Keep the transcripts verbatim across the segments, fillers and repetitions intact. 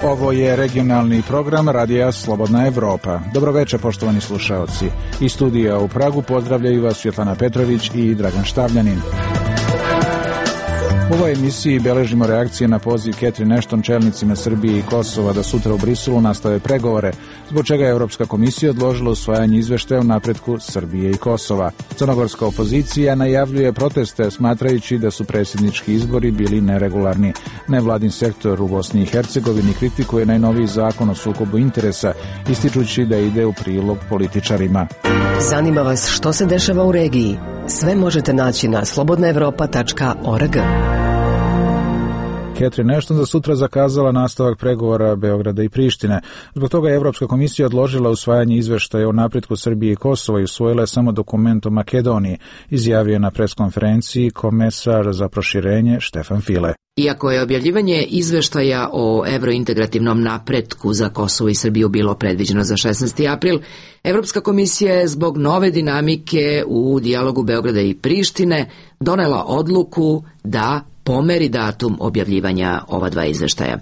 Ovo je regionalni program Radija Slobodna Evropa. Dobroveče, poštovani slušaoci. Iz studija u Pragu pozdravljaju vas Svjetlana Petrović i Dragan Štavljanin. U ovoj emisiji beležimo reakcije na poziv Catherine Ashton čelnicima Srbije i Kosova da sutra u Briselu nastave pregovore, zbog čega je Evropska komisija odložila usvajanje izveštaja o napretku Srbije i Kosova. Crnogorska opozicija najavljuje proteste, smatrajući da su predsjednički izbori bili neregularni. Nevladin sektor u Bosni i Hercegovini kritikuje najnoviji zakon o sukobu interesa, ističući da ide u prilog političarima. Zanima vas što se dešava u regiji? Sve možete naći na slobodna evropa tačka org. Catherine Ashton za sutra zakazala nastavak pregovora Beograda i Prištine. Zbog toga je Evropska komisija odložila usvajanje izveštaja o napretku Srbije i Kosova i usvojila je samo dokument o Makedoniji, izjavio je na preskonferenciji komesar za proširenje Štefan File. Iako je objavljivanje izveštaja o evrointegrativnom napretku za Kosovo i Srbiju bilo predviđeno za šesnaesti april, Evropska komisija je zbog nove dinamike u dijalogu Beograda i Prištine donela odluku da pomeri datum objavljivanja ova dva izveštaja.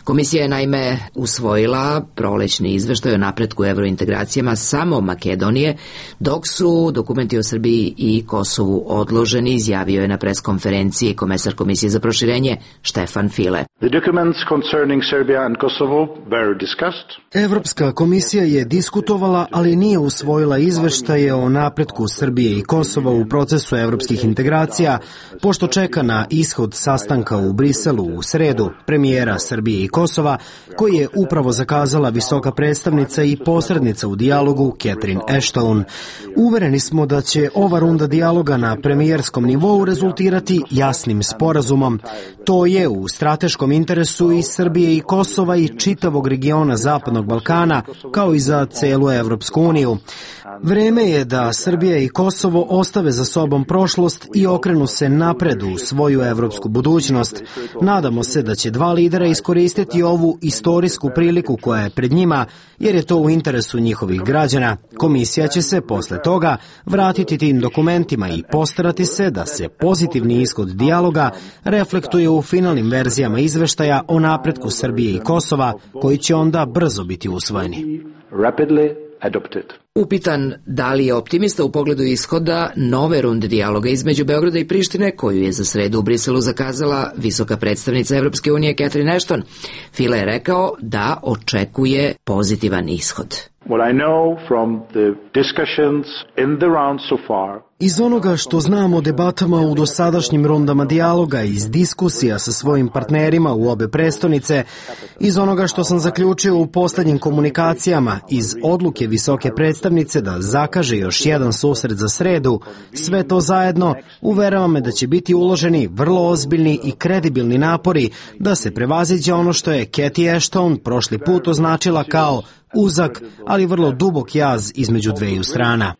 Komisija je naime usvojila prolećni izveštaj o napretku evrointegracijama samo Makedonije, dok su dokumenti o Srbiji i Kosovu odloženi, izjavio je na preskonferenciji komesar Komisije za proširenje Štefan File. Evropska komisija je diskutovala, ali nije usvojila izveštaje o napretku Srbije i Kosova u procesu evropskih integracija, pošto čeka na ishod sastanka u Briselu u sredu premijera Srbije i Kosova, koji je upravo zakazala visoka predstavnica i posrednica u dijalogu Catherine Ashton. Uvereni smo da će ova runda dijaloga na premijerskom nivou rezultirati jasnim sporazumom. To je u strateškom interesu i Srbije i Kosova i čitavog regiona Zapadnog Balkana, kao i za celu Evropsku uniju. Vreme je da Srbija i Kosovo ostave za sobom prošlost i okrenu se napred u svoju evropsku budućnost. Nadamo se da će dva lidera iskoristiti ovu istorijsku priliku koja je pred njima, jer je to u interesu njihovih građana. Komisija će se posle toga vratiti tim dokumentima i postarati se da se pozitivni ishod dijaloga reflektuje u finalnim verzijama izveštaja o napretku Srbije i Kosova, koji će onda brzo biti usvojeni. Upitan da li je optimista u pogledu ishoda nove runde dijaloga između Beograda i Prištine, koju je za sredu u Briselu zakazala visoka predstavnica Evropske unije Catherine Ashton, File je rekao da očekuje pozitivan ishod. Iz onoga što znam o debatama u dosadašnjim rundama dijaloga, iz diskusija sa svojim partnerima u obe prestonice, iz onoga što sam zaključio u poslednjim komunikacijama, iz odluke visoke predstavnice da zakaže još jedan susret za sredu, sve to zajedno uverava me da će biti uloženi vrlo ozbiljni i kredibilni napori da se prevaziđe ono što je Cathy Ashton prošli put označila kao uzak, ali vrlo dubok jaz između dveju strana.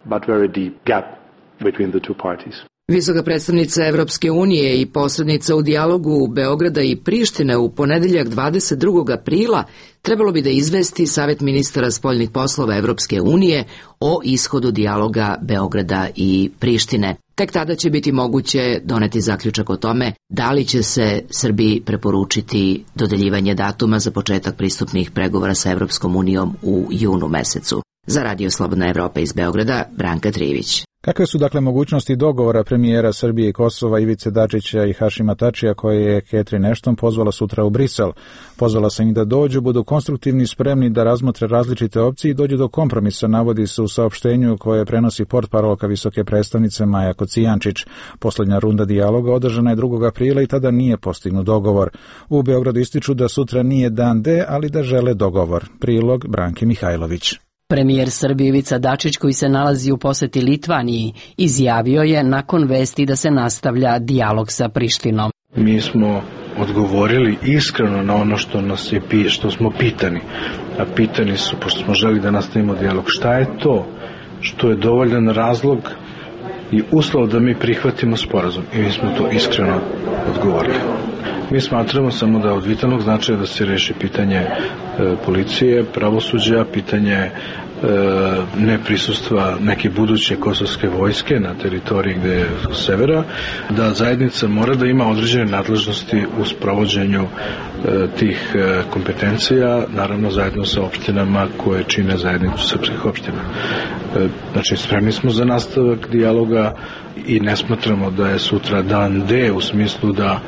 Visoka predstavnica Evropske unije i posrednica u dijalogu Beograda i Prištine u ponedeljak dvadeset drugog aprila trebalo bi da izvesti Savet ministara spoljnih poslova Evropske unije o ishodu dijaloga Beograda i Prištine. Tek tada će biti moguće doneti zaključak o tome da li će se Srbiji preporučiti dodeljivanje datuma za početak pristupnih pregovora sa Evropskom unijom u junu mesecu. Za Radio Slobodna Evropa iz Beograda, Branka Trivić. Kakve su dakle mogućnosti dogovora premijera Srbije i Kosova Ivice Dačića i Hašima Tačija, koje je Catherine Ashton pozvala sutra u Brisel? Pozvala sam ih da dođu, budu konstruktivni, spremni da razmotre različite opcije i dođu do kompromisa, navodi se u saopštenju koje prenosi portparolka visoke predstavnice Maja Kocijančić. Poslednja runda dijaloga održana je drugog aprila i tada nije postignut dogovor. U Beogradu ističu da sutra nije dan D, ali da žele dogovor. Prilog Branke Mihajlović. Premijer Srbije Ivica Dačić, koji se nalazi u poseti Litvaniji, izjavio je nakon vesti da se nastavlja dijalog sa Prištinom. Mi smo odgovorili iskreno na ono što nas je što smo pitani. A pitani su, pošto smo želi da nastavimo dijalog, šta je to što je dovoljan razlog i uslov da mi prihvatimo sporazum. I mi smo to iskreno odgovorili. Mi smatramo samo da od vitalnog značaja da se reši pitanje e, policije, pravosuđa, pitanje e, neprisustva neke buduće kosovske vojske na teritoriji gde je severa, da zajednica mora da ima određene nadležnosti u sprovođenju e, tih e, kompetencija, naravno zajedno sa opštinama koje čine zajednicu srpskih opština. E, znači, spremni smo za nastavak dijaloga i ne smatramo da je sutra dan D u smislu da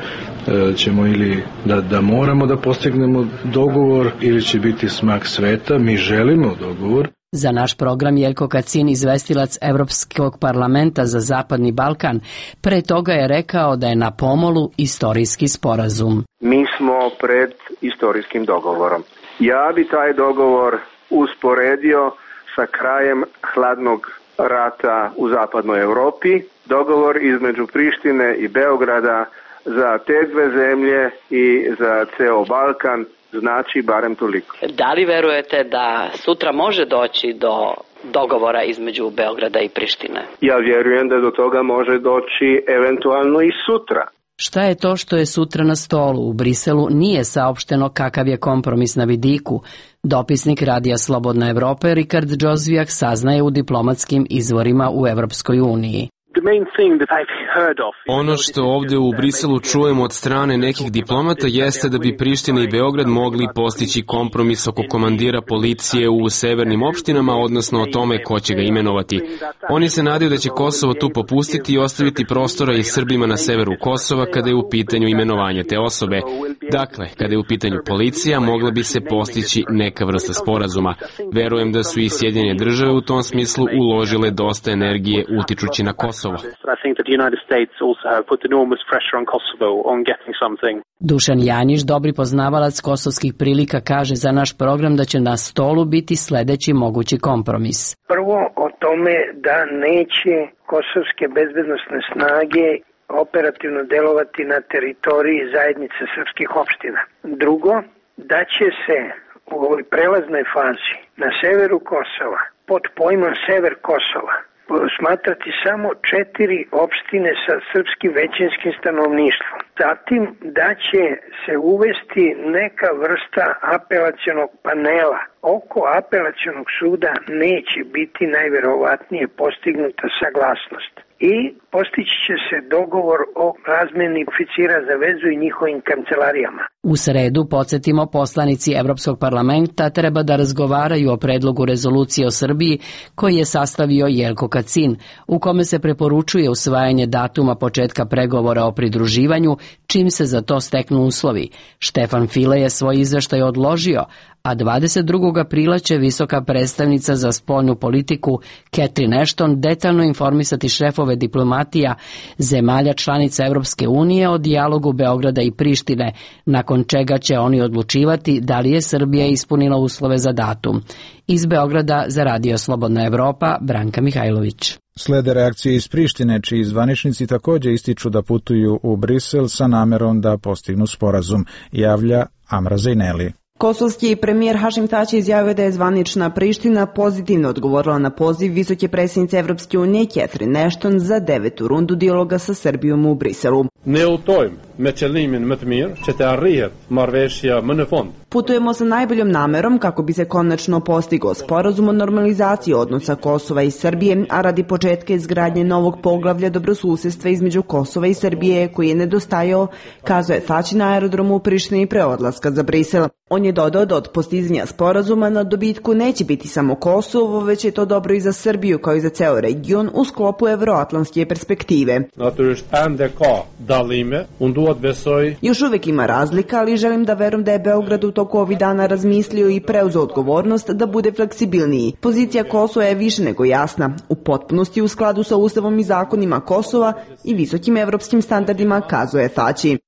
ćemo ili da, da moramo da postignemo dogovor ili će biti smak sveta. Mi želimo dogovor. Za naš program Jelko Kacin, izvestilac Evropskog parlamenta za Zapadni Balkan, pre toga je rekao da je na pomolu istorijski sporazum. Mi smo pred istorijskim dogovorom. Ja bi taj dogovor usporedio sa krajem hladnog rata u zapadnoj Evropi. Dogovor između Prištine i Beograda za te dve zemlje i za ceo Balkan znači barem toliko. Da li verujete da sutra može doći do dogovora između Beograda i Prištine? Ja vjerujem da do toga može doći eventualno i sutra. Šta je to što je sutra na stolu? U Briselu nije saopšteno kakav je kompromis na vidiku. Dopisnik Radija Slobodna Evropa Rikard Džozvijak saznaje u diplomatskim izvorima u Evropskoj uniji. Ono što ovdje u Briselu čujemo od strane nekih diplomata jeste da bi Priština i Beograd mogli postići kompromis oko komandira policije u severnim opštinama, odnosno o tome ko će ga imenovati. Oni se nadaju da će Kosovo tu popustiti i ostaviti prostora i Srbima na severu Kosova kada je u pitanju imenovanje te osobe. Dakle, kada je u pitanju policija, mogla bi se postići neka vrsta sporazuma. Verujem da su i Sjedinjene države u tom smislu uložile dosta energije utičući na Kosovo. Dušan Janjić, dobri poznavalac kosovskih prilika, kaže za naš program da će na stolu biti sledeći mogući kompromis. Prvo o tome da neće kosovske bezbednosne snage operativno delovati na teritoriji zajednice srpskih opština. Drugo, da će se u ovoj prelaznoj fazi na severu Kosova pod pojmom sever Kosova smatrati samo četiri opštine sa srpskim većinskim stanovništvom. Zatim da će se uvesti neka vrsta apelacionog panela. Oko apelacionog suda neće biti najverovatnije postignuta saglasnost. I postići će se dogovor o razmeni oficira za vezu i njihovim kancelarijama. U sredu, podsjetimo, poslanici Evropskog parlamenta treba da razgovaraju o predlogu rezolucije o Srbiji koji je sastavio Jelko Kacin, u kome se preporučuje usvajanje datuma početka pregovora o pridruživanju, čim se za to steknu uslovi. Štefan File je svoj izveštaj odložio, a dvadeset drugog aprila će visoka predstavnica za spoljnu politiku Catherine Ashton detaljno informisati šefove diplomatija zemalja članica Evropske unije o dijalogu Beograda i Prištine, nakon čega će oni odlučivati da li je Srbija ispunila uslove za datum. Iz Beograda za Radio Slobodna Evropa, Branka Mihajlović. Slede reakcije iz Prištine, čiji zvaničnici također ističu da putuju u Brisel sa namerom da postignu sporazum, javlja Amra Zejneli. Kosovski premijer Hašim Tači izjavio da je zvanična Priština pozitivno odgovorila na poziv visoke predsjednice Evropske unije Catherine Ashton za devetu rundu dijaloga sa Srbijom u Briselu. Putujemo sa najboljom namerom kako bi se konačno postigao sporazum o normalizaciji odnosa Kosova i Srbije, a radi početka izgradnje novog poglavlja dobrosusjedstva između Kosova i Srbije koji je nedostajao, kazao je Tači na aerodromu u Prištini pre odlaska za Brisel. On je dodao da od postizanja sporazuma na dobitku neće biti samo Kosovo, već je to dobro i za Srbiju kao i za ceo region u sklopu evroatlantske perspektive. Još uvek ima razlika, ali želim da verujem da je Beograd u toku ovih dana razmislio i preuzeo odgovornost da bude fleksibilniji. Pozicija Kosova je više nego jasna, u potpunosti u skladu sa ustavom i zakonima Kosova i visokim evropskim standardima, kazao je Tači.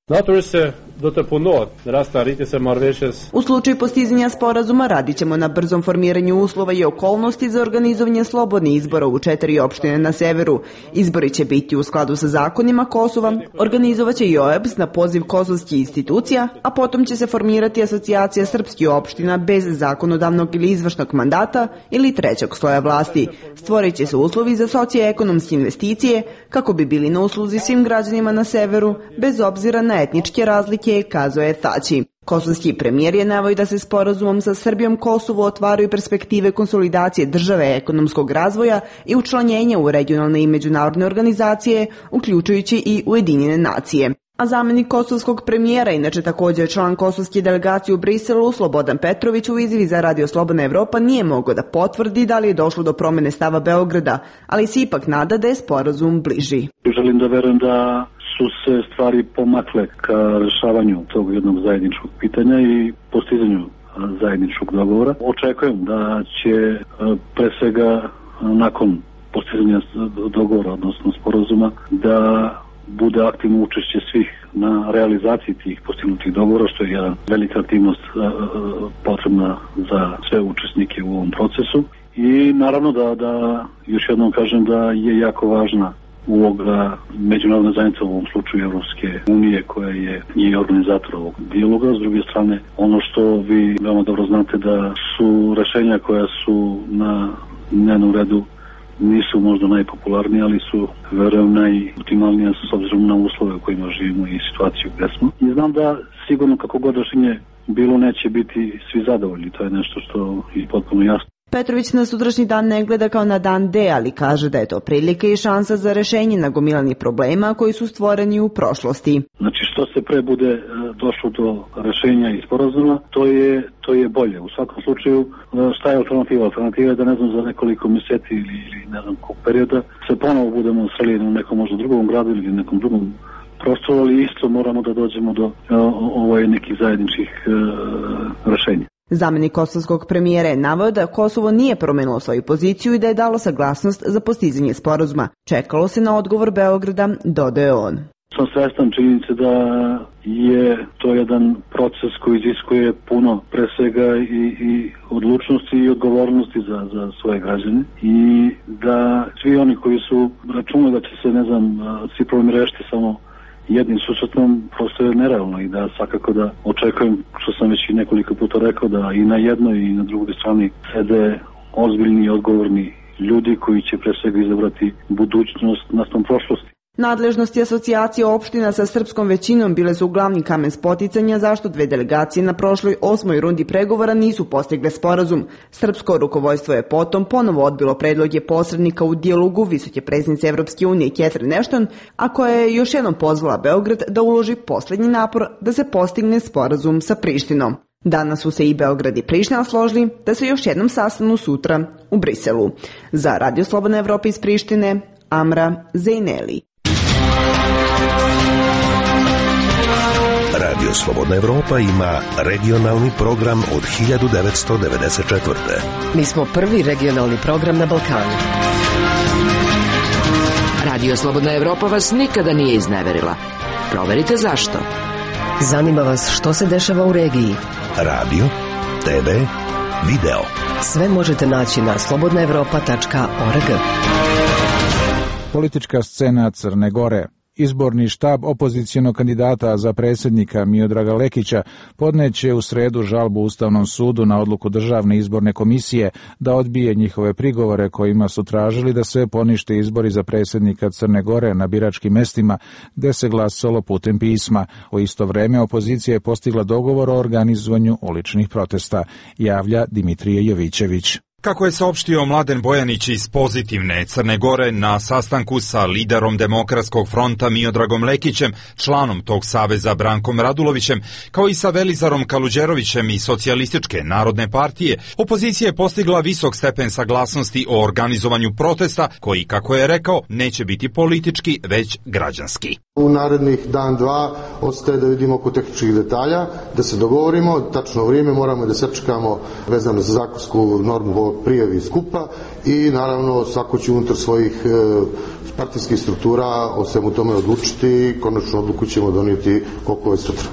U slučaju postizanja sporazuma radit ćemo na brzom formiranju uslova i okolnosti za organizovanje slobodnih izbora u četiri opštine na severu. Izbori će biti u skladu sa zakonima Kosova, organizovaće i O E B S na poziv kosovskih institucija, a potom će se formirati asocijacija srpskih opština bez zakonodavnog ili izvršnog mandata ili trećeg sloja vlasti. Stvorit će se uslovi za socioekonomske investicije kako bi bili na usluzi svim građanima na severu, bez obzira na etničke razlike Amerike, kazao je Thaci. Kosovski premijer je naveo da se sporazumom sa Srbijom Kosovo otvaraju perspektive konsolidacije države, ekonomskog razvoja i učlanjenja u regionalne i međunarodne organizacije, uključujući i Ujedinjene nacije. A zamenik kosovskog premijera, inače također član kosovske delegacije u Briselu, Slobodan Petrović, u izjavi za Radio Slobodna Evropa nije mogao da potvrdi da li je došlo do promene stava Beograda, ali se ipak nada da je sporazum bliži. Želim da verujem da su se stvari pomakle ka rešavanju tog jednog zajedničkog pitanja i postizanju zajedničkog dogovora. Očekujem da će pre svega nakon postizanja dogovora, odnosno sporazuma, da bude aktivno učešće svih na realizaciji tih postignutih dogovora, što je jedna velika aktivnost potrebna za sve učesnike u ovom procesu. I naravno da, da još jednom kažem da je jako važna uloga međunarodne zajednice, u ovom slučaju Evropske unije, koja je i organizator ovog dijaloga. S druge strane, ono što vi veoma dobro znate da su rešenja koja su na dnevnom redu nisu možda najpopularnije, ali su, verujem, najoptimalnije s obzirom na uslove u kojima živimo i situaciju gde smo. I znam da sigurno kako god rešenje bilo neće biti svi zadovoljni, to je nešto što je potpuno jasno. Petrović na sutrašnji dan ne gleda kao na dan D, ali kaže da je to prilika i šansa za rešenje nagomilanih problema koji su stvoreni u prošlosti. Znači što se pre bude došlo do rešenja i sporazuma, to je, to je bolje. U svakom slučaju, šta je alternativa? Alternativa je da ne znam za nekoliko mjeseci ili, ili ne znam kog perioda se ponovo budemo sreli na nekom možda drugom gradu ili nekom drugom prostoru, ali isto moramo da dođemo do ovaj, nekih zajedničkih uh, rešenja. Zamenik kosovskog premijera je naveo da Kosovo nije promenilo svoju poziciju i da je dalo saglasnost za postizanje sporazuma. Čekalo se na odgovor Beograda, dodaje on. Sam svestan činjenice da je to jedan proces koji iziskuje puno pre svega i, i odlučnosti i odgovornosti za, za svoje građane i da svi oni koji su računali da će se, ne znam, svi problemi rešiti samo jednim susretom, prosto je nerealno i da svakako da očekujem, što sam već i nekoliko puta rekao, da i na jednoj i na drugoj strani sede ozbiljni i odgovorni ljudi koji će pre svega izabrati budućnost nastom prošlosti. Nadležnosti asocijacije opština sa srpskom većinom bile su glavni kamen spoticanja zašto dve delegacije na prošloj osmoj rundi pregovora nisu postigle sporazum. Srpsko rukovodstvo je potom ponovo odbilo predloge posrednika u dijalogu visoke predsjednice Evropske unije Catherine Ashton, a koja je još jednom pozvala Beograd da uloži poslednji napor da se postigne sporazum sa Prištinom. Danas su se i Beograd i Priština složili da se još jednom sastanu sutra u Briselu. Za Radio Slobodna Evropa iz Prištine, Amra Zejneli. Radio Slobodna Evropa ima regionalni program od hiljadu devetsto devedeset četvrte. Mi smo prvi regionalni program na Balkanu. Radio Slobodna Evropa vas nikada nije izneverila. Proverite zašto. Zanima vas što se dešava u regiji. Radio, te ve, video. Sve možete naći na slobodna evropa tačka org. Politička scena Crne Gore. Izborni štab opozicijonog kandidata za predsjednika Miodraga Lekića podneće u sredu žalbu Ustavnom sudu na odluku Državne izborne komisije da odbije njihove prigovore kojima su tražili da se ponište izbori za predsjednika Crne Gore na biračkim mestima gde se glasalo putem pisma. U isto vreme opozicija je postigla dogovor o organizovanju uličnih protesta, javlja Dimitrije Jovićević. Kako je saopštio Mladen Bojanić iz Pozitivne Crne Gore na sastanku sa liderom Demokratskog fronta Miodragom Lekićem, članom tog saveza Brankom Radulovićem, kao i sa Velizarom Kaluđerovićem iz Socijalističke narodne partije, opozicija je postigla visok stepen saglasnosti o organizovanju protesta, koji, kako je rekao, neće biti politički, već građanski. U narednih dan, dva, ostaje da vidimo oko tehničkih detalja, da se dogovorimo, tačno vrijeme moramo da sačekamo vezano za zakonsku normu prijavi skupa i naravno svako će unutar svojih e, partijskih struktura o svemu tome odlučiti i konačnu odluku ćemo donijeti koliko je sutra.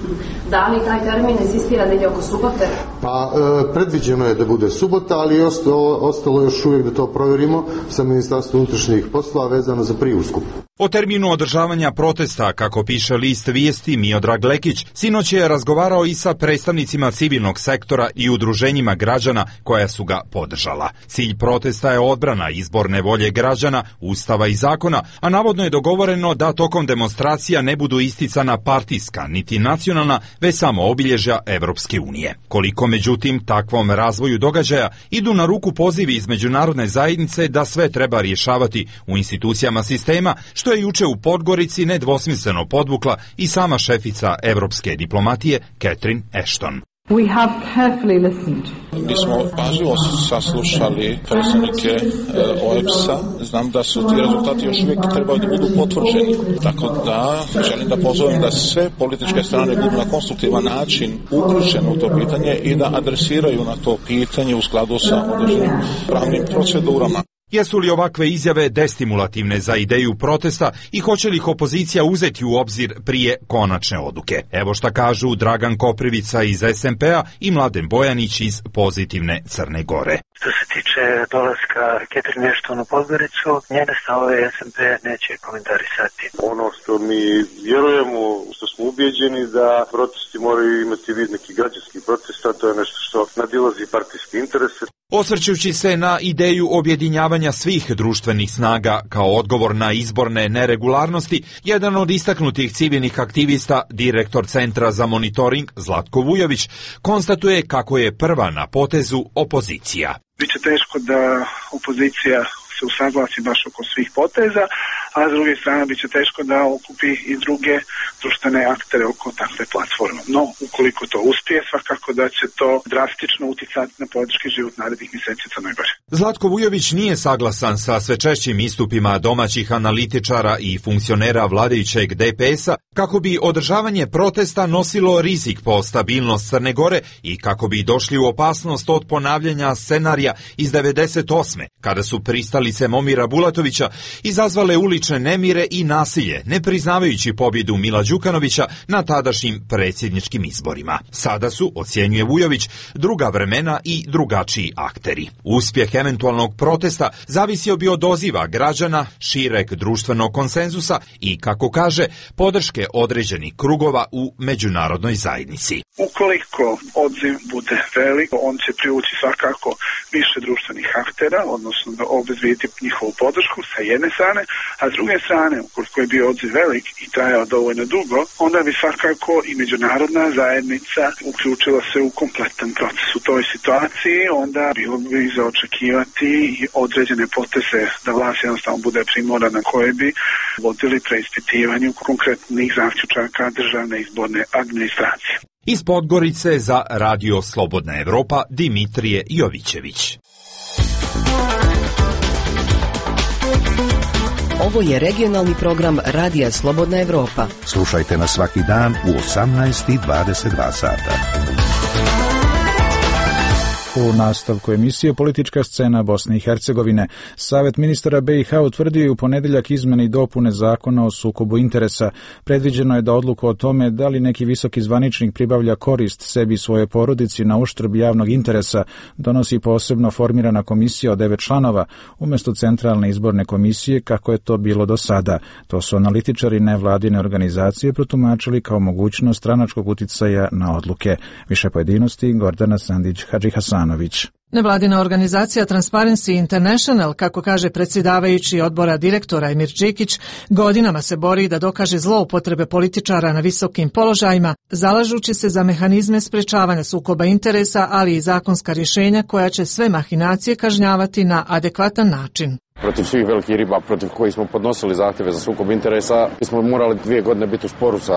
Da li taj termin insistira da ide oko subote? Pa e, predviđeno je da bude subota, ali ostalo, ostalo još uvijek da to provjerimo sa Ministarstvom unutrašnjih poslova vezano za prijavu skupa. O terminu održavanja protesta, kako piše list Vijesti, Miodrag Lekić sinoć je razgovarao i sa predstavnicima civilnog sektora i udruženjima građana koja su ga podržala. Cilj protesta je odbrana izborne volje građana, ustava i zakona, a navodno je dogovoreno da tokom demonstracija ne budu isticana partijska niti nacionalna, već samo obilježja Evropske unije. Koliko međutim takvom razvoju događaja idu na ruku pozivi iz međunarodne zajednice da sve treba rješavati u institucijama sistema, što je juče u Podgorici nedvosmisleno podvukla i sama šefica evropske diplomatije Catherine Ashton. We have carefully listened. Mi smo pažljivo saslušali predstavnike O E B S-a. Znam da su ti rezultati još uvijek trebaju da budu potvrđeni. Tako da želim da pozovem da sve političke strane budu na konstruktivan način uključene u to pitanje i da adresiraju na to pitanje u skladu sa određenim pravnim procedurama. Jesu li ovakve izjave destimulativne za ideju protesta i hoće li ih opozicija uzeti u obzir prije konačne odluke? Evo šta kažu Dragan Koprivica iz S M P-a i Mladen Bojanić iz Pozitivne Crne Gore. Što se tiče dolaska Catherine Ashton u Podgoricu, njene stavove S M P neće komentarisati. Ono što mi vjerujemo, što smo ubijeđeni da protesti moraju imati vid neki građanski protesta, to je nešto što nadilazi partijske interese. Osvrćući se na ideju objedinjavanja svih društvenih snaga kao odgovor na izborne neregularnosti, jedan od istaknutih civilnih aktivista, direktor Centra za monitoring Zlatko Vujović, konstatuje kako je prva na potezu opozicija. Biće teško da opozicija se usaglasi baš oko svih poteza, a s druge strane biće teško da okupi i druge društvene aktere oko takve platforme. No, ukoliko to uspije, svakako da će to drastično uticati na politički život narednih mjeseci Crnoj Gori. Zlatko Vujović nije saglasan sa sve češćim istupima domaćih analitičara i funkcionera vladajućeg D P S-a kako bi održavanje protesta nosilo rizik po stabilnost Crne Gore i kako bi došli u opasnost od ponavljanja scenarija iz devedeset osme kada su pristalice Momira Bulatovića izazvale ulične nemire i nasilje, ne priznavajući pobjedu Mila Đukanovića na tadašnjim predsjedničkim izborima. Sada su, ocjenjuje Vujović, druga vremena i drugačiji akteri. Uspjeh eventualnog protesta zavisio bi od odziva građana, šireg društvenog konsenzusa i, kako kaže, podrške određenih krugova u međunarodnoj zajednici. Ukoliko odziv bude velik, on će privući svakako više društvenih aktera, odnosno da obezbijeti njihovu podršku sa jedne strane, a s druge strane, ukoliko je bio odziv velik i trajao dovoljno dugo, onda bi svakako i međunarodna zajednica uključila se u kompletan proces. U toj situaciji onda bilo bi za očekivati i određene poteze da vlast jednostavno bude primorana koje bi vodili preispitivanju konkretnih zaključaka državne izborne administracije. Iz Podgorice za Radio Slobodna Evropa Dimitrije Jovićević. Ovo je regionalni program Radija Slobodna Evropa. Slušajte nas svaki dan u osamnaest i dvadeset dva sata. U nastavku emisije Politička scena Bosne i Hercegovine, Savet ministara B i H utvrdio u ponedjeljak izmene i dopune zakona o sukobu interesa. Predviđeno je da odluku o tome da li neki visoki zvaničnik pribavlja korist sebi i svoje porodici na uštrb javnog interesa donosi posebno formirana komisija od devet članova, umjesto centralne izborne komisije kako je to bilo do sada. To su analitičari nevladine organizacije protumačili kao mogućnost stranačkog uticaja na odluke. Više pojedinosti Gordana Sandić-Hadži Hasan. Nevladina organizacija Transparency International, kako kaže predsjedavajući odbora direktora Emir Džikić, godinama se bori da dokaže zloupotrebe političara na visokim položajima, zalažući se za mehanizme sprečavanja sukoba interesa, ali i zakonska rješenja koja će sve mahinacije kažnjavati na adekvatan način. Protiv svih velikih riba protiv kojih smo podnosili zahtjeve za sukob interesa, mi smo morali dvije godine biti u sporu sa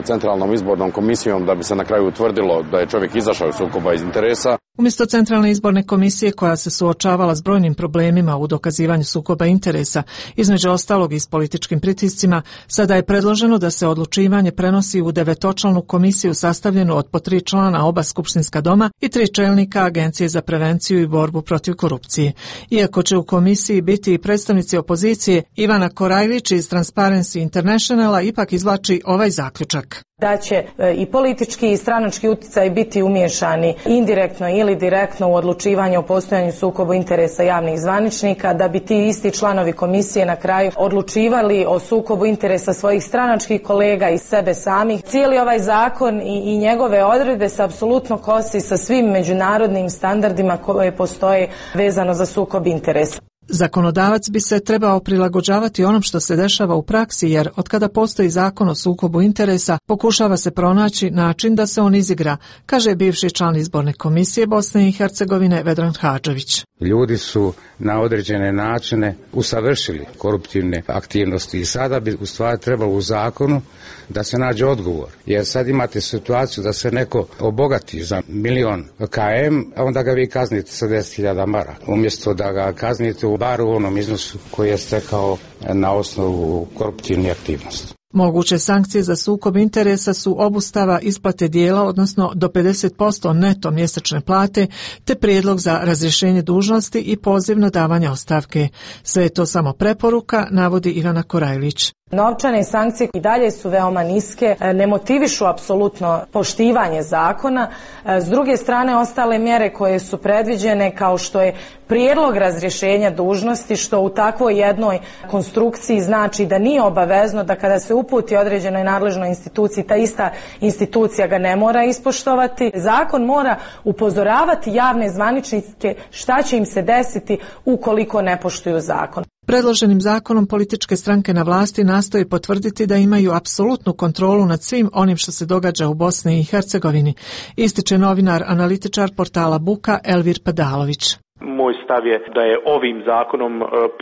centralnom izbornom komisijom da bi se na kraju utvrdilo da je čovjek izašao iz sukoba interesa. Umjesto centralne izborne komisije koja se suočavala s brojnim problemima u dokazivanju sukoba interesa, između ostalog i s političkim pritiscima, sada je predloženo da se odlučivanje prenosi u devetočlanu komisiju sastavljenu od po tri člana oba skupštinska doma i tri čelnika Agencije za prevenciju i borbu protiv korupcije. Iako će u komisiji biti biti i predstavnici opozicije, Ivana Korajlić iz Transparency Internationala ipak izvlači ovaj zaključak. Da će i politički i stranački utjecaj biti umiješani indirektno ili direktno u odlučivanje o postojanju sukoba interesa javnih zvaničnika, da bi ti isti članovi komisije na kraju odlučivali o sukobu interesa svojih stranačkih kolega i sebe samih. Cijeli ovaj zakon i, i njegove odredbe se apsolutno kosi sa svim međunarodnim standardima koje postoje vezano za sukob interesa. Zakonodavac bi se trebao prilagođavati onom što se dešava u praksi, jer otkada postoji zakon o sukobu interesa, pokušava se pronaći način da se on izigra, kaže bivši član izborne komisije Bosne i Hercegovine Vedran Hadžević. Ljudi su na određene načine usavršili koruptivne aktivnosti i sada bi u stvari trebalo u zakonu da se nađe odgovor. Jer sad imate situaciju da se neko obogati za milion km, a onda ga vi kaznite sa deset hiljada maraka, umjesto da ga kaznite u bar u onom iznosu koji je stekao na osnovu koruptivne aktivnosti. Moguće sankcije za sukob interesa su obustava isplate dijela, odnosno do pedeset posto neto mjesečne plate, te prijedlog za razrješenje dužnosti i poziv na davanje ostavke. Sve je to samo preporuka, navodi Ivana Korajlić. Novčane sankcije i dalje su veoma niske, ne motivišu apsolutno poštivanje zakona. S druge strane, ostale mjere koje su predviđene, kao što je prijedlog razrješenja dužnosti, što u takvoj jednoj konstrukciji znači da nije obavezno da kada se uputi određenoj nadležnoj instituciji, ta ista institucija ga ne mora ispoštovati. Zakon mora upozoravati javne zvaničnike šta će im se desiti ukoliko ne poštuju zakon. Predloženim zakonom političke stranke na vlasti nastoje potvrditi da imaju apsolutnu kontrolu nad svim onim što se događa u Bosni i Hercegovini, ističe novinar, analitičar portala Buka Elvir Padalović. Moj stav je da je ovim zakonom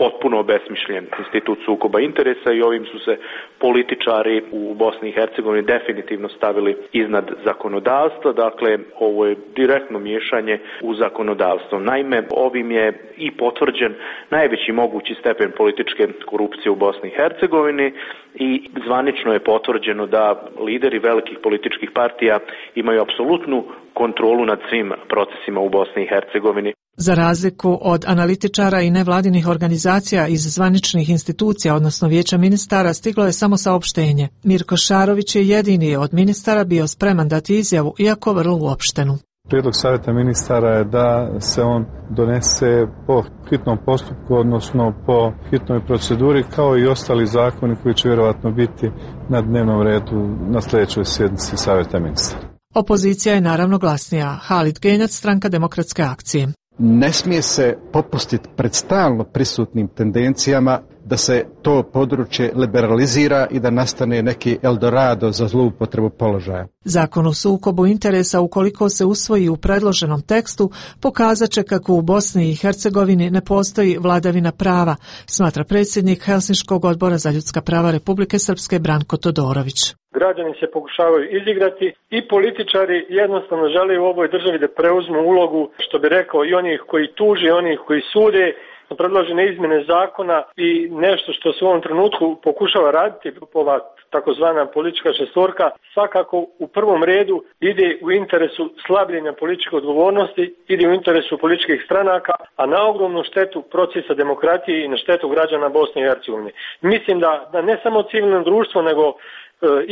potpuno obesmišljen institut sukoba interesa i ovim su se političari u Bosni i Hercegovini definitivno stavili iznad zakonodavstva. Dakle, ovo je direktno miješanje u zakonodavstvo. Naime, ovim je i potvrđen najveći mogući stepen političke korupcije u Bosni i Hercegovini i zvanično je potvrđeno da lideri velikih političkih partija imaju apsolutnu kontrolu nad svim procesima u Bosni i Hercegovini. Za razliku od analitičara i nevladinih organizacija iz zvaničnih institucija, odnosno Vijeća ministara, stiglo je samo saopštenje. Mirko Šarović je jedini od ministara bio spreman dati izjavu, iako vrlo uopštenu. Prijedlog savjeta ministara je da se on donese po hitnom postupku, odnosno po hitnoj proceduri, kao i ostali zakoni koji će vjerovatno biti na dnevnom redu na sljedećoj sjednici savjeta ministara. Opozicija je naravno glasnija. Halid Genjac, Stranka demokratske akcije. Ne smije se popustiti pred stalno prisutnim tendencijama da se to područje liberalizira i da nastane neki Eldorado za zloupotrebu položaja. Zakon o sukobu interesa, ukoliko se usvoji u predloženom tekstu, pokazat će kako u Bosni i Hercegovini ne postoji vladavina prava, smatra predsjednik Helsinškog odbora za ljudska prava Republike Srpske Branko Todorović. Građani se pokušavaju izigrati i političari jednostavno žele u ovoj državi da preuzmu ulogu, što bi rekao, i onih koji tuže, i onih koji sude, predložene izmjene zakona i nešto što se u ovom trenutku pokušava raditi, ova takozvana politička šestorka, svakako u prvom redu ide u interesu slabljenja političke odgovornosti, ide u interesu političkih stranaka, a na ogromnu štetu procesa demokratije i na štetu građana Bosne i Hercegovine. Mislim da, da ne samo civilno društvo, nego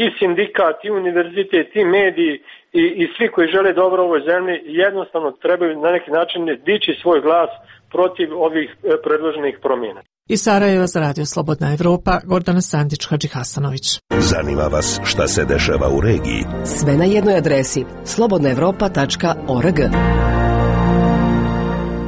i sindikat, i univerzitet, i mediji i, i svi koji žele dobro ovoj zemlji jednostavno trebaju na neki način dići svoj glas protiv ovih predloženih promjena. Iz Sarajeva za Radio Slobodna Evropa, Gordana Sandić, Hadži Hasanović. Zanima vas šta se dešava u regiji? Sve na jednoj adresi slobodna evropa tačka org.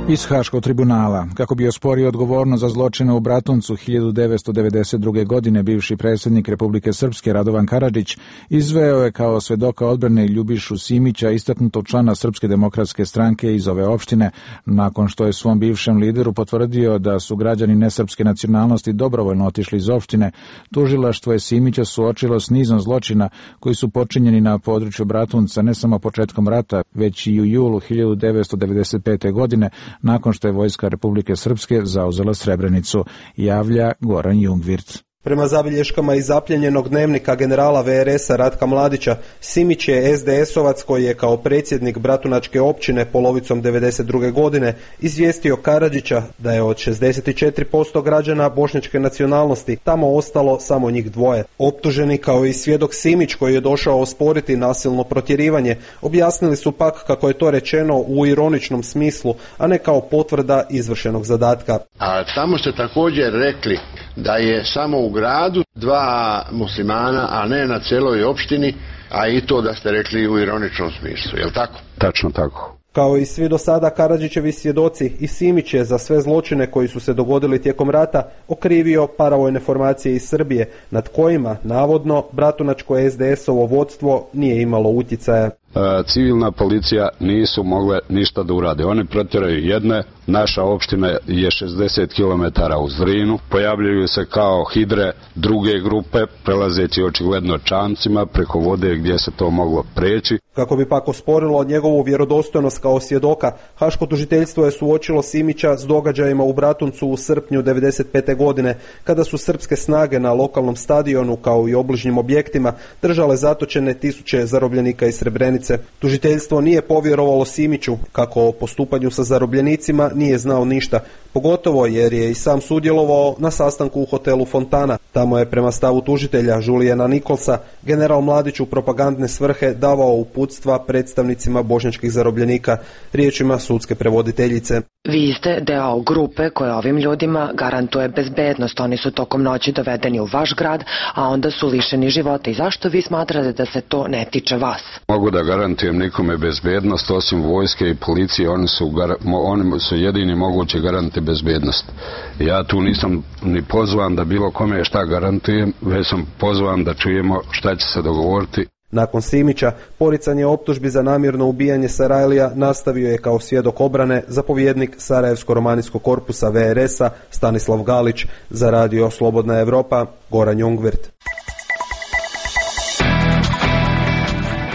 Iz Haškog tribunala, kako bi osporio odgovornost za zločine u Bratuncu hiljadu devetsto devedeset druge. godine, bivši predsjednik Republike Srpske Radovan Karadžić izveo je kao svedoka odbrane Ljubišu Simića, istaknutog člana Srpske demokratske stranke iz ove opštine, nakon što je svom bivšem lideru potvrdio da su građani nesrpske nacionalnosti dobrovoljno otišli iz opštine. Tužilaštvo je Simića suočilo s nizom zločina koji su počinjeni na području Bratunca ne samo početkom rata, već i u julu hiljadu devetsto devedeset pete. godine, nakon što je vojska Republike Srpske zauzela Srebrenicu, javlja Goran Jungwirth. Prema zabilješkama iz zapljenjenog dnevnika generala V R S-a Ratka Mladića, Simić je es de esovac koji je kao predsjednik Bratunačke općine polovicom devedeset druge godine izvijestio Karadžića da je od šezdeset četiri posto građana bošnjačke nacionalnosti tamo ostalo samo njih dvoje. Optuženi kao i svjedok Simić koji je došao osporiti nasilno protjerivanje, objasnili su pak kako je to rečeno u ironičnom smislu, a ne kao potvrda izvršenog zadatka. A tamo ste također rekli da je samo u gradu dva muslimana, a ne na celoj opštini, a i to da ste rekli u ironičnom smislu, je li tako? Tačno tako. Kao i svi do sada Karadžićevi svjedoci, i Simić je za sve zločine koji su se dogodili tijekom rata okrivio paravojne formacije iz Srbije, nad kojima, navodno, bratunačko es de esovo vodstvo nije imalo utjecaja. Civilna policija nisu mogle ništa da urade. Oni protjeraju jedne, naša opština je šezdeset kilometara u Zrinu, pojavljuju se kao hidre druge grupe, prelazeći očigledno čamcima preko vode gdje se to moglo preći. Kako bi pak osporilo njegovu vjerodostojnost kao svjedoka, Haško tužiteljstvo je suočilo Simića s događajima u Bratuncu u srpnju devedeset pete godine, kada su srpske snage na lokalnom stadionu kao i obližnjim objektima držale zatočene tisuće zarobljenika iz Srebrenice. Tužiteljstvo nije povjerovalo Simiću kako o postupanju sa zarobljenicima nije znao ništa, pogotovo jer je i sam sudjelovao na sastanku u hotelu Fontana. Tamo je prema stavu tužitelja Julijana Nikolsa general Mladić u propagandne svrhe davao uputstva predstavnicima bošnjačkih zarobljenika, riječima sudske prevoditeljice. Vi ste deo grupe koja ovim ljudima garantuje bezbednost. Oni su tokom noći dovedeni u vaš grad, a onda su lišeni života. I zašto vi smatrate da se to ne tiče vas? Mogu da garantujem nikome bezbednost, osim vojske i policije, oni su, oni su jedini mogući garanti bezbednost. Ja tu nisam ni pozvan da bilo kome šta garantujem, već sam pozvan da čujemo šta će se dogovoriti. Nakon Simića, poricanje optužbi za namjerno ubijanje Sarajlija nastavio je kao svjedok obrane zapovjednik Sarajevsko-romanijskog korpusa V R S-a Stanislav Galić, za radio Slobodna Evropa Goran Jungvirt.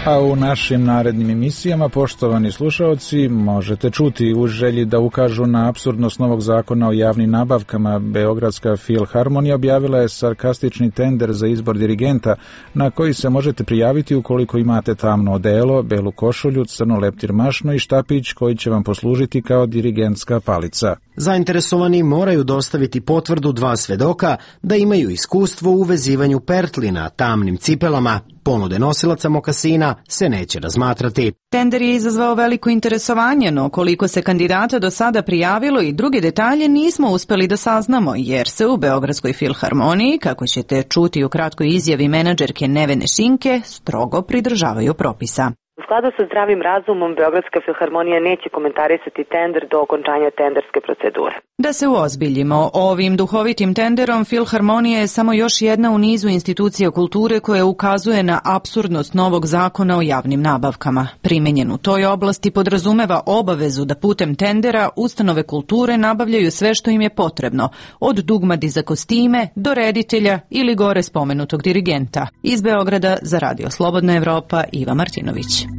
A u našim narednim emisijama, poštovani slušaoci, možete čuti u želji da ukažu na apsurdnost novog zakona o javnim nabavkama. Beogradska filharmonija objavila je sarkastični tender za izbor dirigenta na koji se možete prijaviti ukoliko imate tamno odelo, belu košulju, crno leptir mašno i štapić koji će vam poslužiti kao dirigentska palica. Zainteresovani moraju dostaviti potvrdu dva svedoka da imaju iskustvo u vezivanju pertlina tamnim cipelama. Ponude nosilaca mokasina se neće razmatrati. Tender je izazvao veliko interesovanje, no koliko se kandidata do sada prijavilo i druge detalje nismo uspeli da saznamo, jer se u Beogradskoj filharmoniji, kako ćete čuti u kratkoj izjavi menadžerke Nevene Šinke, strogo pridržavaju propisa. U skladu sa zdravim razumom, Beogradska filharmonija neće komentarisati tender do okončanja tenderske procedure. Da se uozbiljimo, ovim duhovitim tenderom Filharmonija je samo još jedna u nizu institucija kulture koja ukazuje na apsurdnost novog zakona o javnim nabavkama. Primenjen u toj oblasti podrazumeva obavezu da putem tendera ustanove kulture nabavljaju sve što im je potrebno, od dugmadi za kostime do reditelja ili gore spomenutog dirigenta. Iz Beograda za radio Slobodna Evropa Iva Martinović.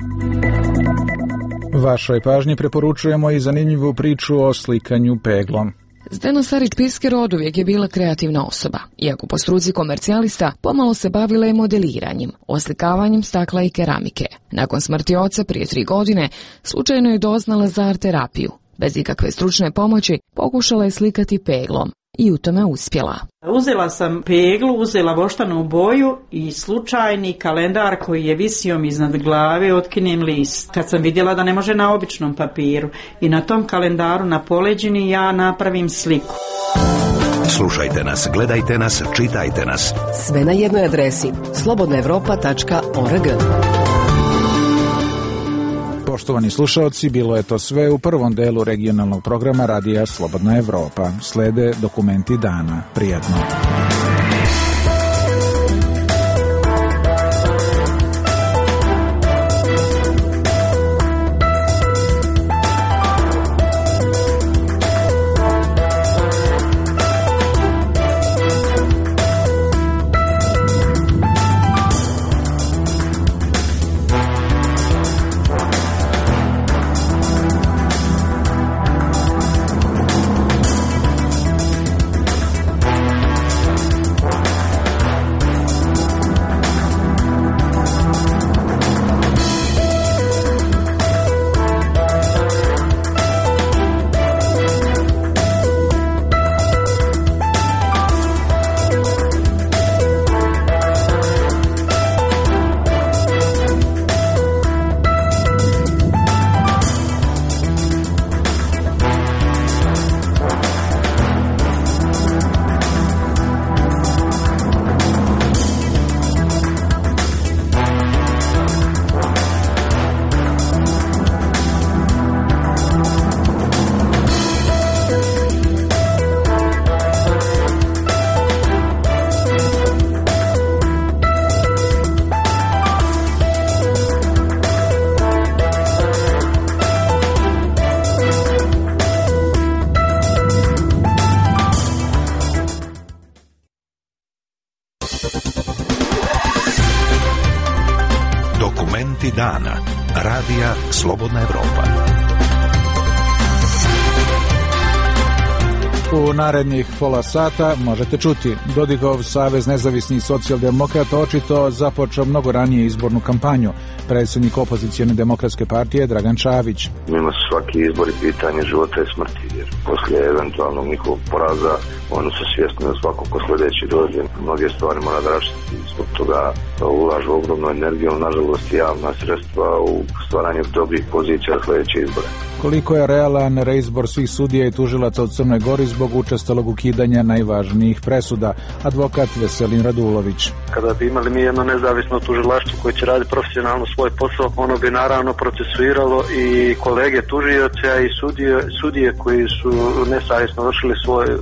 Vašoj pažnji preporučujemo i zanimljivu priču o slikanju peglom. Zdeno Sarit-Pisker oduvijek je bila kreativna osoba. Iako po struci komercijalista, pomalo se bavila i modeliranjem, oslikavanjem stakla i keramike. Nakon smrti oca prije tri godine, slučajno je doznala za art terapiju. Bez ikakve stručne pomoći, pokušala je slikati peglom i u tome uspjela. Uzela sam peglu, uzela voštanu boju i slučajni kalendar koji je visio mi iznad glave, otkinem list. Kad sam vidjela da ne može na običnom papiru i na tom kalendaru na poleđini ja napravim sliku. Slušajte nas, gledajte nas, čitajte nas. Sve na jednoj adresi slobodna evropa tačka org. Poštovani slušaoci, bilo je to sve u prvom delu regionalnog programa Radija Slobodna Evropa. Slede dokumenti dana. Prijatno. Vesti dana. Radija Slobodna Evropa. U narednih pola sata možete čuti Dodigov Savez nezavisnih socijaldemokrata očito započeo mnogo ranije izbornu kampanju. Predsjednik opozicijone demokratske partije Dragan Čavić. Njima su svaki izbori pitanje života i smrti, jer poslije eventualnog njihovog poraza oni su svjesni da svako ko sljedeći dođe mnoge stvari mora da raštiti. Zbog toga ulažu ogromnu energiju, nažalost javna sredstva u stvaranju dobrih pozicija sljedeće izbore. Koliko je realan reizbor svih sudija i tužilaca u Crnoj Gori zbog učestalog ukidanja najvažnijih presuda? Advokat Veselin Radulović. Kada bi imali mi jedno nezavisno tužilaštvo koje će raditi profesionalno svoj posao, ono bi naravno procesuiralo i kolege tužioce i sudije, sudije koji su nesavjesno vršili svoje,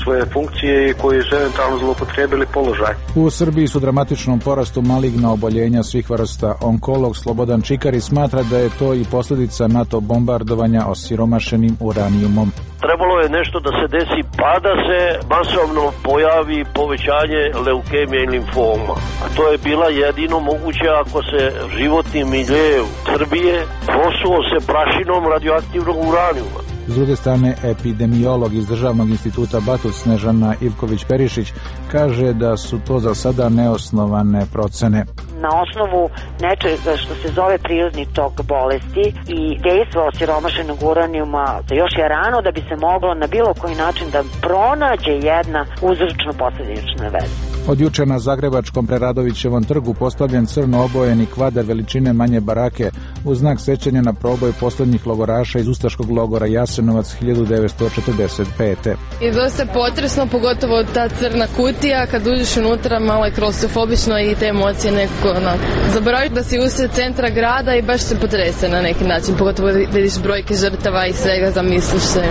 svoje funkcije i koji su eventualno zloupotrijebili položaj. U Srbiji su dramatičnom porastu maligna oboljenja svih vrsta. Onkolog Slobodan Čikari smatra da je to i posljedica NATO bombardovanja osiromašenim uranijumom. Trebalo je nešto da se desi pa da se masovno pojavi povećanje leukemije i limfoma. A to je bila jedino moguće ako se životni milje Srbije prosuo se prašinom radioaktivnog uranijuma. S druge strane, epidemiolog iz Državnog instituta Batut Snežana Ivković-Perišić kaže da su to za sada neosnovane procene. Na osnovu nečega što se zove prirodni tok bolesti i dejstva osiromašenog uranijuma, još je rano da bi se moglo na bilo koji način da pronađe jedna uzročno-posljednična veza. Od juče na Zagrebačkom Preradovićevom trgu postavljen crno obojeni kvadar veličine manje barake u znak sećanja na proboj posljednjih logoraša iz ustaškog logora Jasenovac hiljadu devetsto četrdeset pete. I dosta je potresno, pogotovo ta crna kutija, kad uđeš unutra malo je klaustrofobično i te emocije nekako onako. Zaboraviti da si usred centra grada i baš se potrese na neki način, pogotovo da vidiš brojke žrtava i svega, zamisliš se.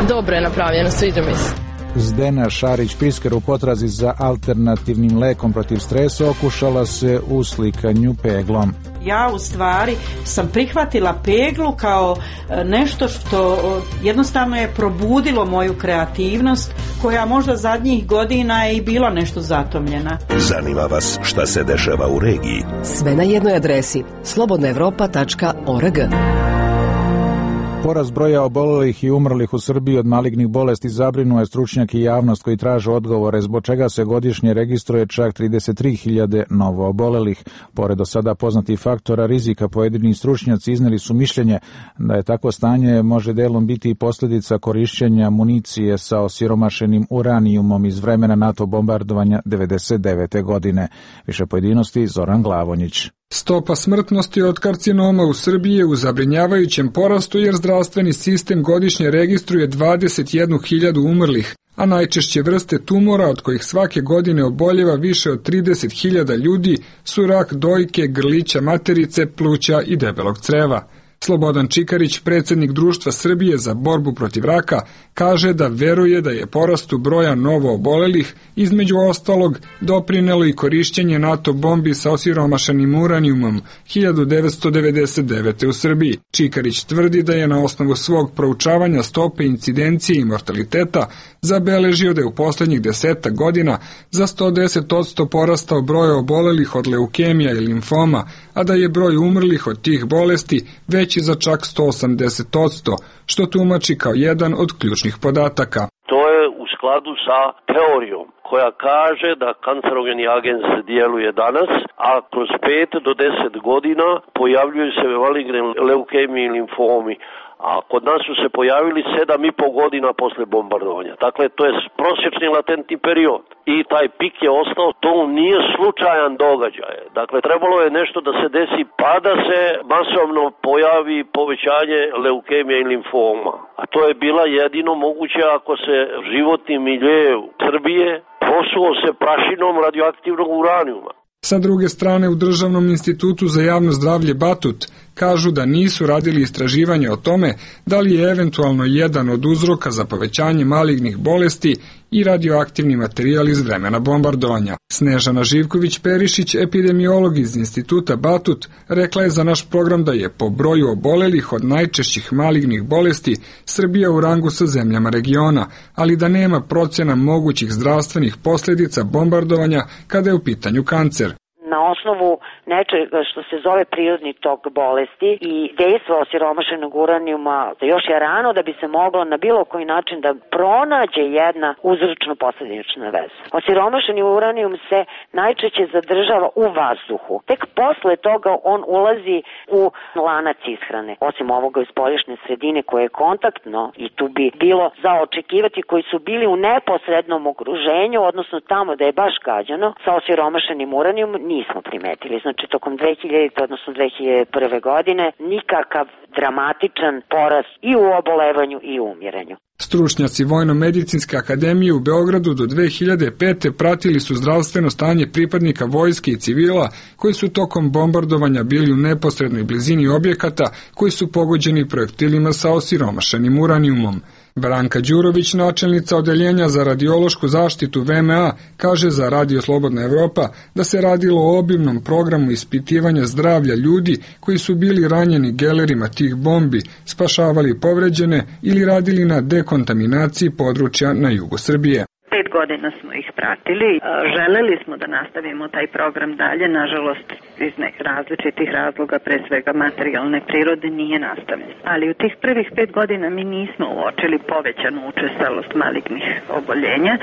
Dobro je napravljeno, sviđa mi se. Zdena Šarić-Pisker u potrazi za alternativnim lekom protiv stresa okušala se u slikanju peglom. Ja u stvari sam prihvatila peglu kao nešto što jednostavno je probudilo moju kreativnost koja možda zadnjih godina je i bila nešto zatomljena. Zanima vas šta se dešava u regiji? Sve na jednoj adresi slobodna evropa tačka org. Porast broja obolelih i umrlih u Srbiji od malignih bolesti zabrinuo je stručnjak i javnost koji traže odgovore, zbog čega se godišnje registruje čak trideset tri hiljade novo obolelih. Pored do sada poznatih faktora rizika, pojedini stručnjaci izneli su mišljenje da je takvo stanje može delom biti i posljedica korišćenja municije sa osiromašenim uranijumom iz vremena NATO bombardovanja devedeset devete godine. Više pojedinosti Zoran Glavonjić. Stopa smrtnosti od karcinoma u Srbiji je u zabrinjavajućem porastu jer zdravstveni sistem godišnje registruje dvadeset jednu hiljadu umrlih, a najčešće vrste tumora od kojih svake godine oboljeva više od trideset hiljada ljudi su rak dojke, grlića materice, pluća i debelog creva. Slobodan Čikarić, predsjednik Društva Srbije za borbu protiv raka, kaže da veruje da je porastu broja novo obolelih između ostalog doprinelo i korišćenje NATO bombi sa osiromašenim uranijumom hiljadu devetsto devedeset devete. u Srbiji. Čikarić tvrdi da je na osnovu svog proučavanja stope incidencije i mortaliteta zabeležio da je u posljednjih desetak godina za sto deset odsto porastao broj obolelih od leukemija i limfoma, a da je broj umrlih od tih bolesti veći za čak sto osamdeset odsto, što tumači kao jedan od ključnih podataka. To je u skladu sa teorijom koja kaže da kancerogeni agens djeluje danas, a kroz pet do deset godina pojavljuju se maligne leukemije i limfomi. A kod nas su se pojavili sedam i po godina posle bombardovanja. Dakle, to je prosječni latentni period. I taj pik je ostao, to nije slučajan događaj. Dakle, trebalo je nešto da se desi pa da se masovno pojavi povećanje leukemije i limfoma. A to je bila jedino moguće ako se životni milje Srbije prosuo se prašinom radioaktivnog uranijuma. Sa druge strane, u Državnom institutu za javno zdravlje Batut kažu da nisu radili istraživanje o tome da li je eventualno jedan od uzroka za povećanje malignih bolesti i radioaktivni materijal iz vremena bombardovanja. Snežana Živković-Perišić, epidemiolog iz instituta Batut, rekla je za naš program da je po broju obolelih od najčešćih malignih bolesti Srbija u rangu sa zemljama regiona, ali da nema procjena mogućih zdravstvenih posljedica bombardovanja kada je u pitanju kancer. Na osnovu nečega što se zove prirodni tok bolesti i dejstva osiromašenog uranijuma da još je rano da bi se moglo na bilo koji način da pronađe jedna uzročno-posledična veza. Osiromašeni uranijum se najčešće zadržava u vazduhu. Tek posle toga on ulazi u lanac ishrane. Osim ovoga iz spoljašnje sredine koje je kontaktno i tu bi bilo za očekivati koji su bili u neposrednom okruženju, odnosno tamo da je baš gađano sa osiromašenim uranijum, nismo primetili. Znači tokom dve hiljadite odnosno dve hiljade prve godine nikakav dramatičan porast i u obolevanju i u umiranju. Stručnjaci Vojno-medicinske akademije u Beogradu do dve hiljade pete pratili su zdravstveno stanje pripadnika vojske i civila koji su tokom bombardovanja bili u neposrednoj blizini objekata koji su pogođeni projektilima sa osiromašenim uranijumom. Branka Đurović, načelnica odeljenja za radiološku zaštitu V M A, kaže za Radio Slobodna Evropa da se radilo o obimnom programu ispitivanja zdravlja ljudi koji su bili ranjeni gelerima tih bombi, spašavali povređene ili radili na dekontaminaciji područja na jugu Srbije. Pet godina smo ih pratili. Želeli smo da nastavimo taj program dalje, nažalost iz nekih različitih razloga, pre svega materijalne prirode, nije nastavljen. Ali u tih prvih pet godina mi nismo uočili povećanu učestalost malignih oboljenja,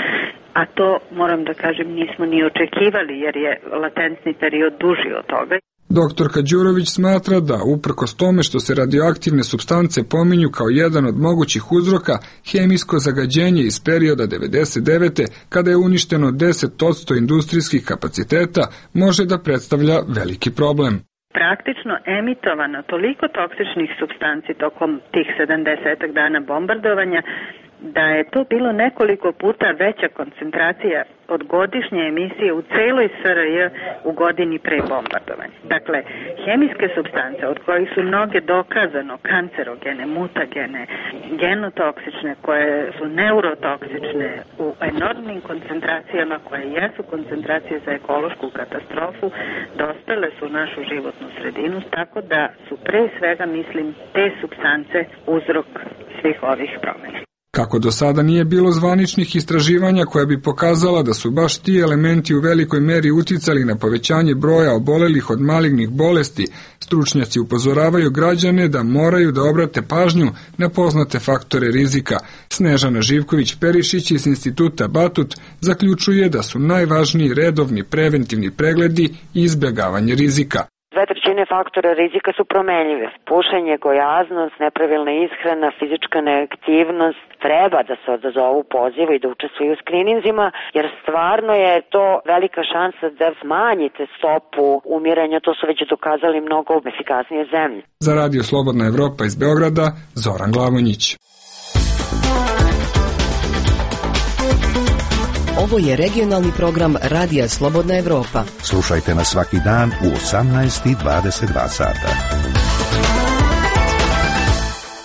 a to, moram da kažem, nismo ni očekivali jer je latentni period duži od toga. Doktorka Đurović smatra da, uprkos tome što se radioaktivne supstance pominju kao jedan od mogućih uzroka, hemijsko zagađenje iz perioda devedeset devete kada je uništeno deset posto industrijskih kapaciteta, može da predstavlja veliki problem. Praktično emitovano toliko toksičnih supstanci tokom tih sedamdeset dana bombardovanja da je to bilo nekoliko puta veća koncentracija od godišnje emisije u celoj S R J u godini pre bombardovanja. Dakle, hemijske supstance od kojih su mnoge dokazano kancerogene, mutagene, genotoksične, koje su neurotoksične u enormnim koncentracijama koje jesu koncentracije za ekološku katastrofu, dospele su u našu životnu sredinu, tako da su pre svega, mislim, te supstance uzrok svih ovih promjena. Kako do sada nije bilo zvaničnih istraživanja koja bi pokazala da su baš ti elementi u velikoj meri uticali na povećanje broja obolelih od malignih bolesti, stručnjaci upozoravaju građane da moraju da obrate pažnju na poznate faktore rizika. Snežana Živković-Perišić iz Instituta Batut zaključuje da su najvažniji redovni preventivni pregledi i izbjegavanje rizika. Dve trećine faktora rizika su promenljive. Pušenje, gojaznost, nepravilna ishrana, fizička neaktivnost. Treba da se odazovu pozivu i da učestvuju u skrininzima, jer stvarno je to velika šansa da smanjite stopu umiranja. To su već dokazali mnogo efikasnije zemlje. Za Radio Slobodna Evropa iz Beograda, Zoran Glavonjić. Ovo je regionalni program Radija Slobodna Evropa. Slušajte nas svaki dan u osamnaest i dvadeset dva sata.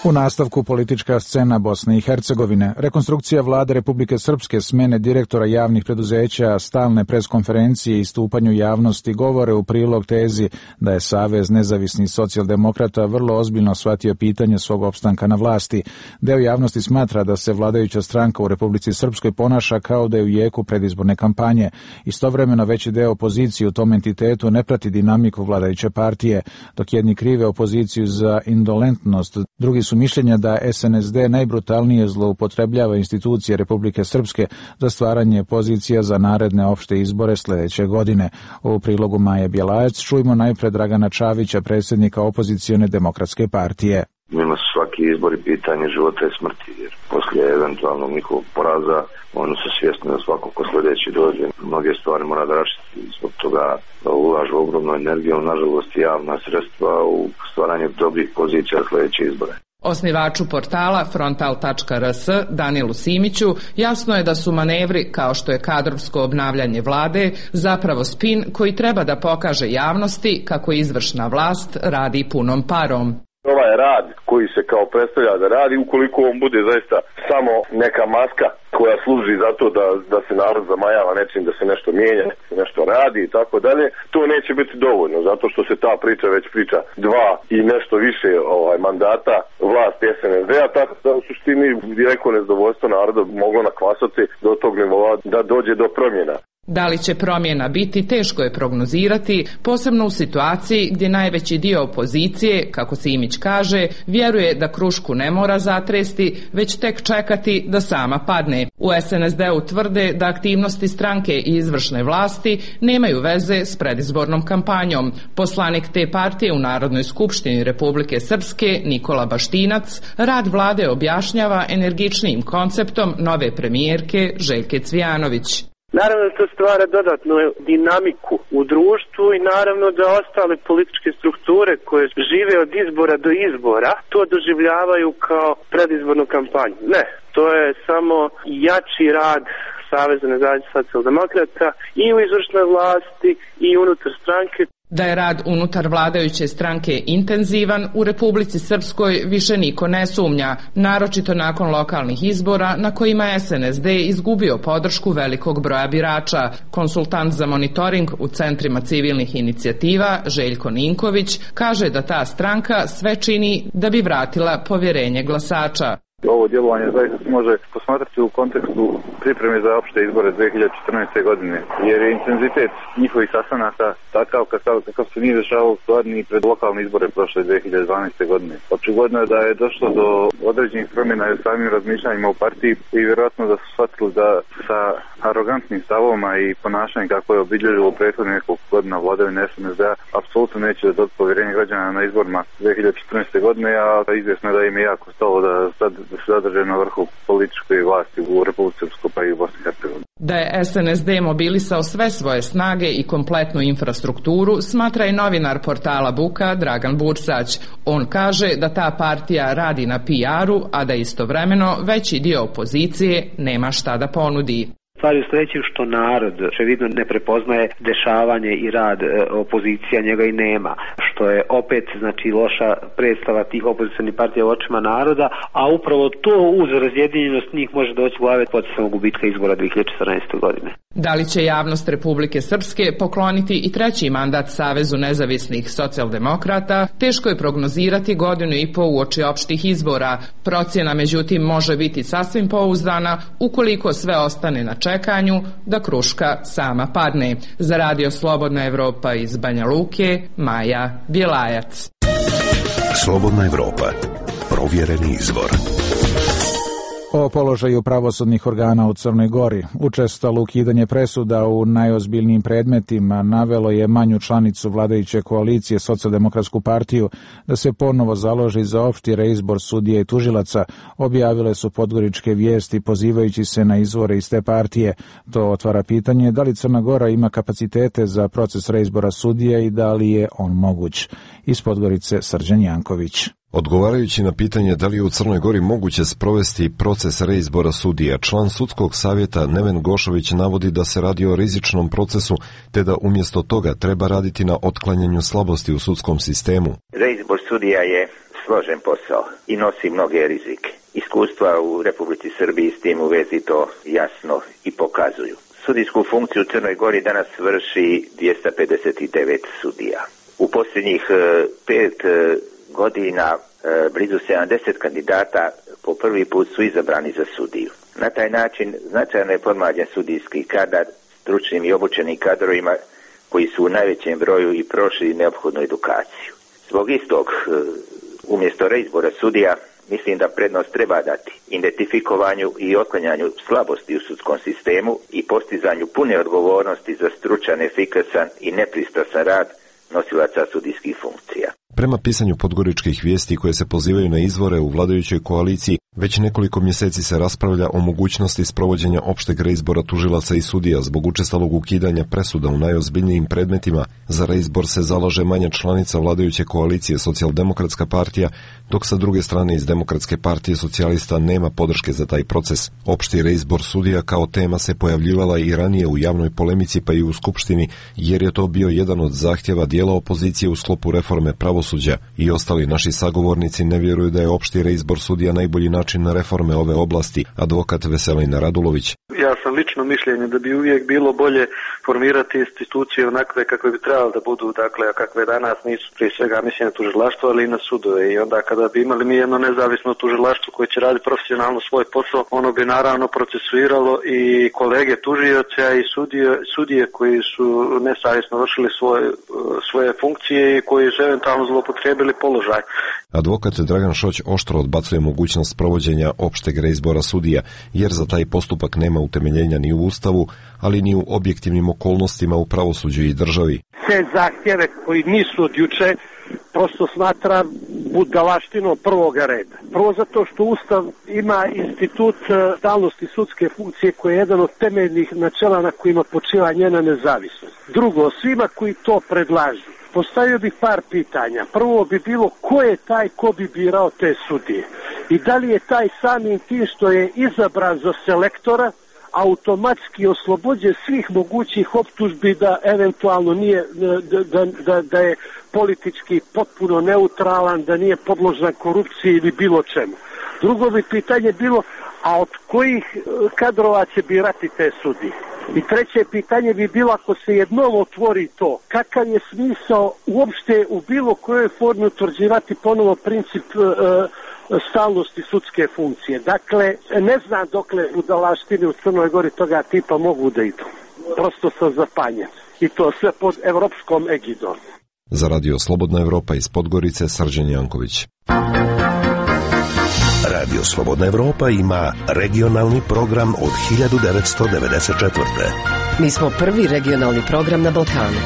U nastavku politička scena Bosne i Hercegovine. Rekonstrukcija vlade Republike Srpske, smene direktora javnih preduzeća, stalne preskonferencije i stupanju javnosti govore u prilog tezi da je Savez nezavisnih socijaldemokrata vrlo ozbiljno shvatio pitanje svog opstanka na vlasti. Deo javnosti smatra da se vladajuća stranka u Republici Srpskoj ponaša kao da je u jeku predizborne kampanje. Istovremeno veći deo opozicije u tom entitetu ne prati dinamiku vladajuće partije, dok jedni krive opoziciju za indolentnost, drugi su mišljenja da S N S D najbrutalnije zloupotrebljava institucije Republike Srpske za stvaranje pozicija za naredne opšte izbore sljedeće godine. U prilogu Maje Bjelajac čujmo najpre Dragana Čavića, predsjednika opozicione demokratske partije. Njima su svaki izbori pitanje života i smrti, jer poslije eventualnog njihovog poraza oni su svjesni da svako ko sljedeći dođe mnoge stvari mora da raštiti. Zbog toga ulažu ogromnu energiju, nažalost javna sredstva u stvaranje dobrih pozicija sljedeće izbore. Osnivaču portala frontal tačka r s Danilu Simiću jasno je da su manevri kao što je kadrovsko obnavljanje vlade zapravo spin koji treba da pokaže javnosti kako izvršna vlast radi punom parom. Ovaj rad koji se kao predstavlja da radi, ukoliko on bude zaista samo neka maska koja služi za to da, da se narod zamajava nečim, da se nešto mijenja, da se nešto radi i tako dalje, to neće biti dovoljno, zato što se ta priča već priča dva i nešto više ovaj, mandata vlasti S N S D-a, tako da u suštini direktno nezadovoljstvo naroda moglo nakvasati do tog nivoa da dođe do promjena. Da li će promjena biti, teško je prognozirati, posebno u situaciji gdje najveći dio opozicije, kako Simić kaže, vjeruje da krušku ne mora zatresti, već tek čekati da sama padne. U es en es de-u tvrde da aktivnosti stranke i izvršne vlasti nemaju veze s predizbornom kampanjom. Poslanik te partije u Narodnoj skupštini Republike Srpske, Nikola Baštinac, rad vlade objašnjava energičnijim konceptom nove premijerke Željke Cvijanović. Naravno da to stvara dodatnu dinamiku u društvu i naravno da ostale političke strukture koje žive od izbora do izbora to doživljavaju kao predizbornu kampanju. Ne, to je samo jači rad Saveza nezavisnih socijaldemokrata i u izvršnoj vlasti i unutar stranke. Da je rad unutar vladajuće stranke intenzivan, u Republici Srpskoj više niko ne sumnja, naročito nakon lokalnih izbora na kojima je es en es de izgubio podršku velikog broja birača. Konsultant za monitoring u centrima civilnih inicijativa Željko Ninković kaže da ta stranka sve čini da bi vratila povjerenje glasača. Ovo djelovanje zaista se može posmatrati u kontekstu pripreme za opšte izbore dve hiljade četrnaeste. godine, jer je intenzitet njihovih sastanaka takav kakav, kakav se nije dešavao stvar ni pred lokalne izbore prošle dve hiljade dvanaeste. godine. Očigledno je da je došlo do određenih promjena u samim razmišljanjima u partiji i vjerojatno da su shvatili da sa arogantnim stavovima i ponašanjem kako je obilježilo prethodnih nekoliko godina vladavine es en es de-a apsolutno neće dobiti povjerenje građana na izborima dve hiljade četrnaeste. godine, a izvjesno je da im je jako stalo da sad da se zadrže na vrhu političke vlasti u Republici Srpskoj pa i u Bosni i Hercegovini. Da je es en es de mobilisao sve svoje snage i kompletnu infrastrukturu, smatra i novinar portala Buka Dragan Bursać. On kaže da ta partija radi na pi aru, a da istovremeno veći dio opozicije nema šta da ponudi. Stvari u sljedećem što narod očevidno ne prepoznaje dešavanje i rad e, opozicija, njega i nema, što je opet znači loša predstava tih opozicionih partija u očima naroda, a upravo to uz razjedinjenost njih može doći u glave potencijalnog gubitka izbora dve hiljade četrnaeste. godine. Da li će javnost Republike Srpske pokloniti i treći mandat Savezu nezavisnih socijaldemokrata, teško je prognozirati godinu i po uoči opštih izbora. Procjena međutim može biti sasvim pouzdana ukoliko sve ostane na čekanju da kruška sama padne. Za Radio Slobodna Evropa iz Banja Luke, Maja Bjelajac. Slobodna Evropa. Provjereni izvor. O položaju pravosudnih organa u Crnoj Gori. Učestalo ukidanje presuda u najozbiljnijim predmetima navelo je manju članicu vladajuće koalicije Socijaldemokratsku partiju da se ponovo založi za opšti reizbor sudija i tužilaca, objavile su podgoričke vijesti pozivajući se na izvore iz te partije. To otvara pitanje da li Crna Gora ima kapacitete za proces reizbora sudija i da li je on moguć. Iz Podgorice Srđan Janković. Odgovarajući na pitanje da li je u Crnoj Gori moguće sprovesti proces reizbora sudija, član sudskog savjeta Neven Gošović navodi da se radi o rizičnom procesu, te da umjesto toga treba raditi na otklanjanju slabosti u sudskom sistemu. Reizbor sudija je složen posao i nosi mnoge rizike. Iskustva u Republici Srbiji s tim u vezi to jasno i pokazuju. Sudijsku funkciju u Crnoj Gori danas vrši dvjesto pedeset devet sudija. U posljednjih pet godina blizu sedamdeset kandidata po prvi put su izabrani za sudiju. Na taj način značajno je podmlađen sudijski kadar stručnim i obučenim kadrovima koji su u najvećem broju i prošli neophodnu edukaciju. Zbog istog, umjesto reizbora sudija, mislim da prednost treba dati identifikovanju i otklanjanju slabosti u sudskom sistemu i postizanju pune odgovornosti za stručan, efikasan i nepristrasan rad nosilaca sudijskih funkcija. Prema pisanju podgoričkih vijesti koje se pozivaju na izvore u vladajućoj koaliciji, već nekoliko mjeseci se raspravlja o mogućnosti sprovođenja opšteg reizbora tužilaca i sudija zbog učestalog ukidanja presuda u najozbiljnijim predmetima. Za reizbor se zalaže manja članica vladajuće koalicije Socijaldemokratska partija, dok sa druge strane iz Demokratske partije socijalista nema podrške za taj proces. Opšti reizbor sudija kao tema se pojavljivala i ranije u javnoj polemici pa i u Skupštini, jer je to bio jedan od zahtjeva dijela opozicije u sklopu reforme pravosuđa i ostali naši sagovornici ne vjeruju da je opšti reizbor sudija najbolji način način reforme ove oblasti, advokat Veselina Radulović. Ja sam lično mišljenje da bi uvijek bilo bolje formirati institucije onakve kakve bi trebali da budu, dakle, a kakve danas nisu, prije svega mislim na tužilaštvo, ali i na sudove. I onda kada bi imali mi jedno nezavisno tužilaštvo koje će raditi profesionalno svoj posao, ono bi naravno procesuiralo i kolege tužioce i sudije, sudije koji su nesavjesno vršili svoje, svoje funkcije i koji su eventualno zloupotrijebili položaj. Advokat Dragan Šoć oštro odbacuje mogućnost provođenja opšteg reizbora sudija, jer za taj postupak nema utemeljenja ni u Ustavu, ali ni u objektivnim okolnostima u pravosuđu i državi. Sve zahtjeve koji nisu od juče prosto smatra budalaštinom prvoga reda. Prvo zato što Ustav ima institut stalnosti sudske funkcije koji je jedan od temeljnih načela na kojima počiva njena nezavisnost. Drugo, svima koji to predlažu, postavio bih par pitanja. Prvo bi bilo ko je taj ko bi birao te sudije i da li je taj samim tim što je izabran za selektora automatski oslobođen svih mogućih optužbi da eventualno nije, da, da, da, da je politički potpuno neutralan, da nije podložan korupciji ili bilo čemu. Drugo bi pitanje bilo, a od kojih kadrova će birati te sudije? I treće pitanje bi bilo, ako se jednom otvori to, kakav je smisao uopšte u bilo kojoj formi utvrđivati ponovo princip e, stalnosti sudske funkcije. Dakle, ne znam dokle budalaštine u Crnoj Gori toga tipa mogu da idu. Prosto sam zapanjen. I to sve pod evropskom egidom. Za radio Slobodna Evropa iz Podgorice, Srđan Janković. Radio Slobodna Evropa ima regionalni program od hiljadu devetsto devedeset četvrte. Mi smo prvi regionalni program na Balkanu.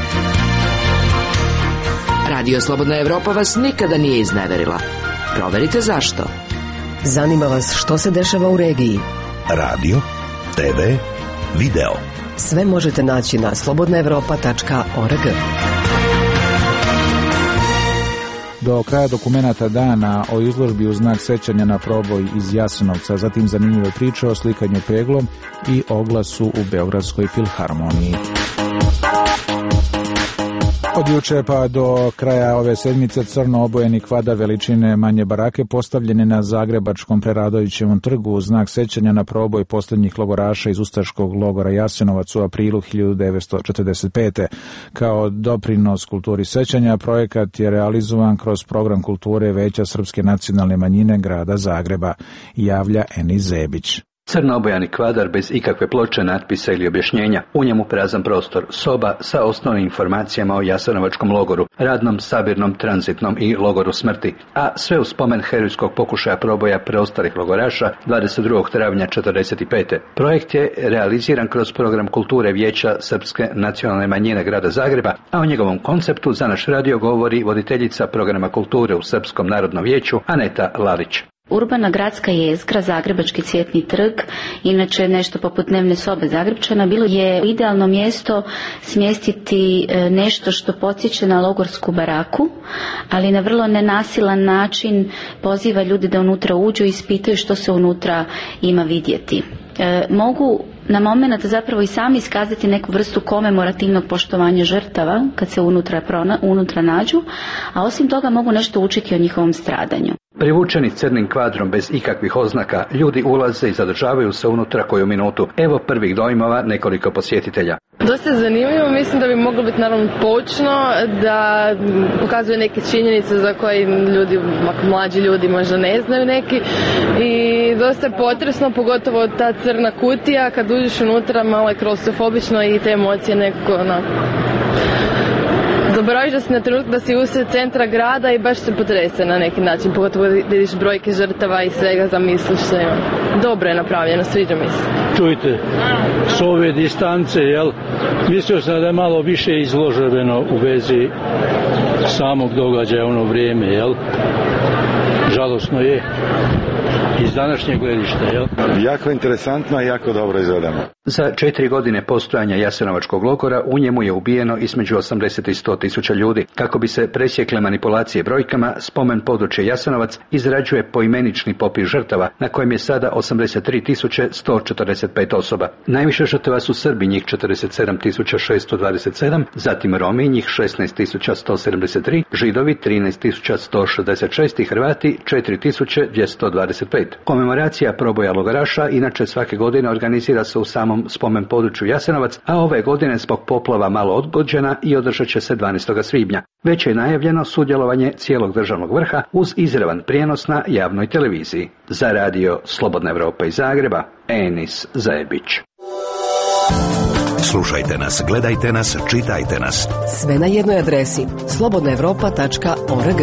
Radio Slobodna Evropa vas nikada nije izneverila. Proverite zašto. Zanima vas što se dešava u regiji. Radio, te ve, video. Sve možete naći na slobodna evropa tačka org. Do kraja dokumenata dana o izložbi u znak sećanja na proboj iz Jasenovca, zatim zanimljive priče o slikanju peglom i oglasu u Beogradskoj filharmoniji. Od juče pa do kraja ove sedmice crno obojeni kvadar veličine manje barake postavljene na Zagrebačkom Preradovićevom trgu u znak sećanja na proboj posljednjih logoraša iz ustaškog logora Jasenovac u aprilu hiljadu devetsto četrdeset pete. Kao doprinos kulturi sećanja, projekat je realizovan kroz program kulture Veća srpske nacionalne manjine grada Zagreba, javlja Eni Zebić. Crno obojani kvadar bez ikakve ploče, natpisa ili objašnjenja, u njemu prazan prostor, soba sa osnovnim informacijama o Jasenovačkom logoru, radnom, sabirnom, tranzitnom i logoru smrti, a sve u spomen herojskog pokušaja proboja preostalih logoraša dvadeset drugog travnja četrdeset pete. Projekt je realiziran kroz program kulture Vijeća srpske nacionalne manjine grada Zagreba, a o njegovom konceptu za naš radio govori voditeljica programa kulture u Srpskom narodnom vijeću Aneta Lalić. Urbana gradska jezgra, Zagrebački cvjetni trg, inače nešto poput dnevne sobe Zagrepčana, bilo je idealno mjesto smjestiti nešto što podsjeća na logorsku baraku, ali na vrlo nenasilan način poziva ljudi da unutra uđu i ispitaju što se unutra ima vidjeti. E, mogu na moment zapravo i sami iskazati neku vrstu komemorativnog poštovanja žrtava kad se unutra, prona, unutra nađu, a osim toga mogu nešto učiti o njihovom stradanju. Privučeni crnim kvadrom bez ikakvih oznaka, ljudi ulaze i zadržavaju se unutra koju minutu. Evo prvih dojmova nekoliko posjetitelja. Dosta je zanimljivo, mislim da bi moglo biti naravno poučno, da pokazuje neke činjenice za koje ljudi, mlađi ljudi možda ne znaju neki, i dosta je potresno, pogotovo ta crna kutija, kad uđeš unutra malo je klaustrofobično i te emocije nekako onako. Zaboraviš da si na trenutak da si usred centra grada i baš se potrese na neki način, pogotovo da vidiš brojke žrtava i svega, zamisliš se. Dobro je napravljeno, sviđa mi se. Čujte, s ove distance, jel, mislio sam da je malo više izloženo u vezi samog događaja ono vrijeme, jel? Žalosno je. Iz današnjeg gledišta, jel? Jako interesantno i jako dobro izvedemo. Za četiri godine postojanja Jasenovačkog logora u njemu je ubijeno između osamdeset i sto tisuća ljudi. Kako bi se presjekle manipulacije brojkama, spomen područje Jasenovac izrađuje poimenični popis žrtava, na kojem je sada osamdeset tri tisuće sto četrdeset pet osoba. Najviše žrtava su Srbi, njih četrdeset sedam tisuća šesto dvadeset sedam, zatim Romi, njih šesnaest tisuća sto sedamdeset tri, Židovi trinaest tisuća sto šezdeset šest i Hrvati četiri tisuće dvjesto dvadeset pet. red. Komemoracija proboja logoraša inače svake godine organizira se u samom spomen području Jasenovac, a ove godine zbog poplava malo odgođena i održat će se dvanaestog svibnja. Već je najavljeno sudjelovanje cijelog državnog vrha uz izravan prijenos na javnoj televiziji. Za radio Slobodna Evropa iz Zagreba, Enis Zajebić. Slušajte nas, gledajte nas, čitajte nas. Sve na jednoj adresi slobodna evropa tačka org.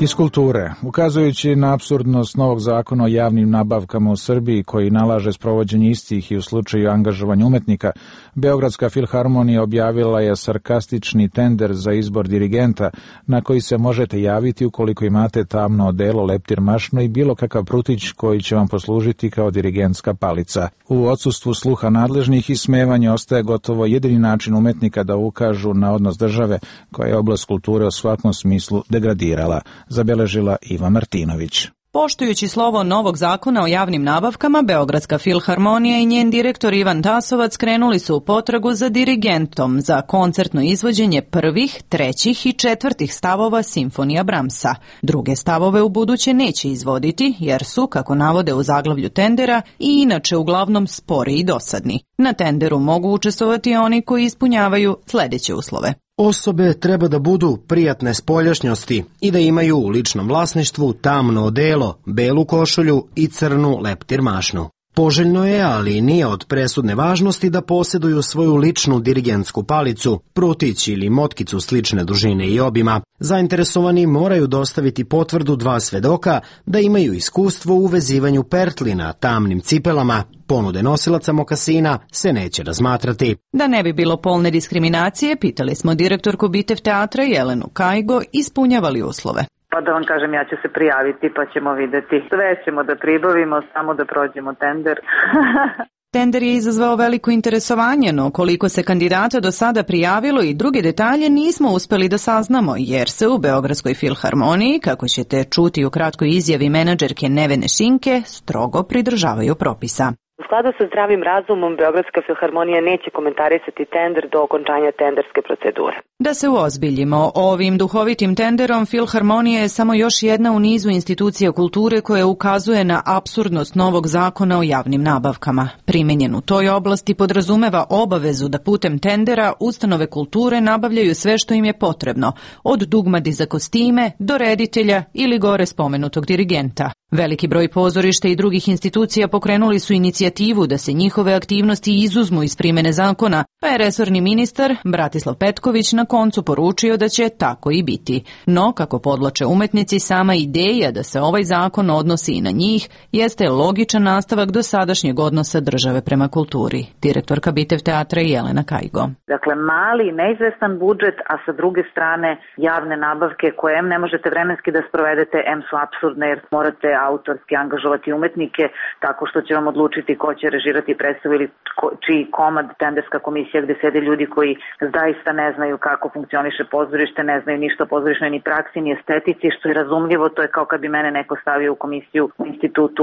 Iz kulture, ukazujući na apsurdnost novog zakona o javnim nabavkama u Srbiji koji nalaže sprovođenje istih i u slučaju angažovanja umetnika, Beogradska filharmonija objavila je sarkastični tender za izbor dirigenta na koji se možete javiti ukoliko imate tamno odelo, leptir mašno i bilo kakav prutić koji će vam poslužiti kao dirigentska palica. U odsustvu sluha nadležnih ismevanje ostaje gotovo jedini način umetnika da ukažu na odnos države koja je oblast kulture u svakom smislu degradirala, zabeležila Iva Martinović. Poštujući slovo novog zakona o javnim nabavkama, Beogradska filharmonija i njen direktor Ivan Tasovac krenuli su u potragu za dirigentom za koncertno izvođenje prvih, trećih i četvrtih stavova simfonija Bramsa. Druge stavove u buduće neće izvoditi, jer su, kako navode u zaglavlju tendera, i inače uglavnom spori i dosadni. Na tenderu mogu učestvovati oni koji ispunjavaju sljedeće uslove. Osobe treba da budu prijatne spoljašnjosti i da imaju u ličnom vlasništvu tamno odelo, belu košulju i crnu leptir mašnu. Poželjno je, ali nije od presudne važnosti da posjeduju svoju ličnu dirigentsku palicu, prutić ili motkicu slične dužine i obima. Zainteresovani moraju dostaviti potvrdu dva svedoka da imaju iskustvo u vezivanju pertlina tamnim cipelama. Ponude nosilaca mokasina se neće razmatrati. Da ne bi bilo polne diskriminacije, pitali smo direktorku Bitev teatra Jelenu Kajgo, ispunjava li uslove. Pa da vam kažem, ja ću se prijaviti pa ćemo vidjeti. Sve ćemo da pribavimo, samo da prođemo tender. Tender je izazvao veliko interesovanje, no koliko se kandidata do sada prijavilo i druge detalje nismo uspeli da saznamo, jer se u Beogradskoj filharmoniji, kako ćete čuti u kratkoj izjavi menadžerke Nevene Šinke, strogo pridržavaju propisa. U skladu sa zdravim razumom, Beogradska filharmonija neće komentarisati tender do okončanja tenderske procedure. Da se uozbiljimo, ovim duhovitim tenderom Filharmonija je samo još jedna u nizu institucija kulture koja ukazuje na apsurdnost novog zakona o javnim nabavkama. Primenjen u toj oblasti podrazumeva obavezu da putem tendera ustanove kulture nabavljaju sve što im je potrebno, od dugmadi za kostime do reditelja ili gore spomenutog dirigenta. Veliki broj pozorišta i drugih institucija pokrenuli su inicijativu da se njihove aktivnosti izuzmu iz primene zakona, pa je resorni ministar Bratislav Petković na koncu poručio da će tako i biti. No, kako podlače umetnici, sama ideja da se ovaj zakon odnosi i na njih jeste logičan nastavak dosadašnjeg odnosa države prema kulturi. Direktorka Bitev teatra Jelena Kajgo. Dakle, mali, neizvestan budžet, a sa druge strane javne nabavke koje em ne možete vremenski da sprovedete, em su apsurdne jer morate autorski angažovati umetnike tako što će vam odlučiti ko će režirati predstavu ili ko, čiji komad, tenderska komisija gde sede ljudi koji zaista ne znaju kako funkcioniše pozorište, ne znaju ništa o pozorišnoj ni praksi, ni estetici, što je razumljivo, to je kao kad bi mene neko stavio u komisiju u institutu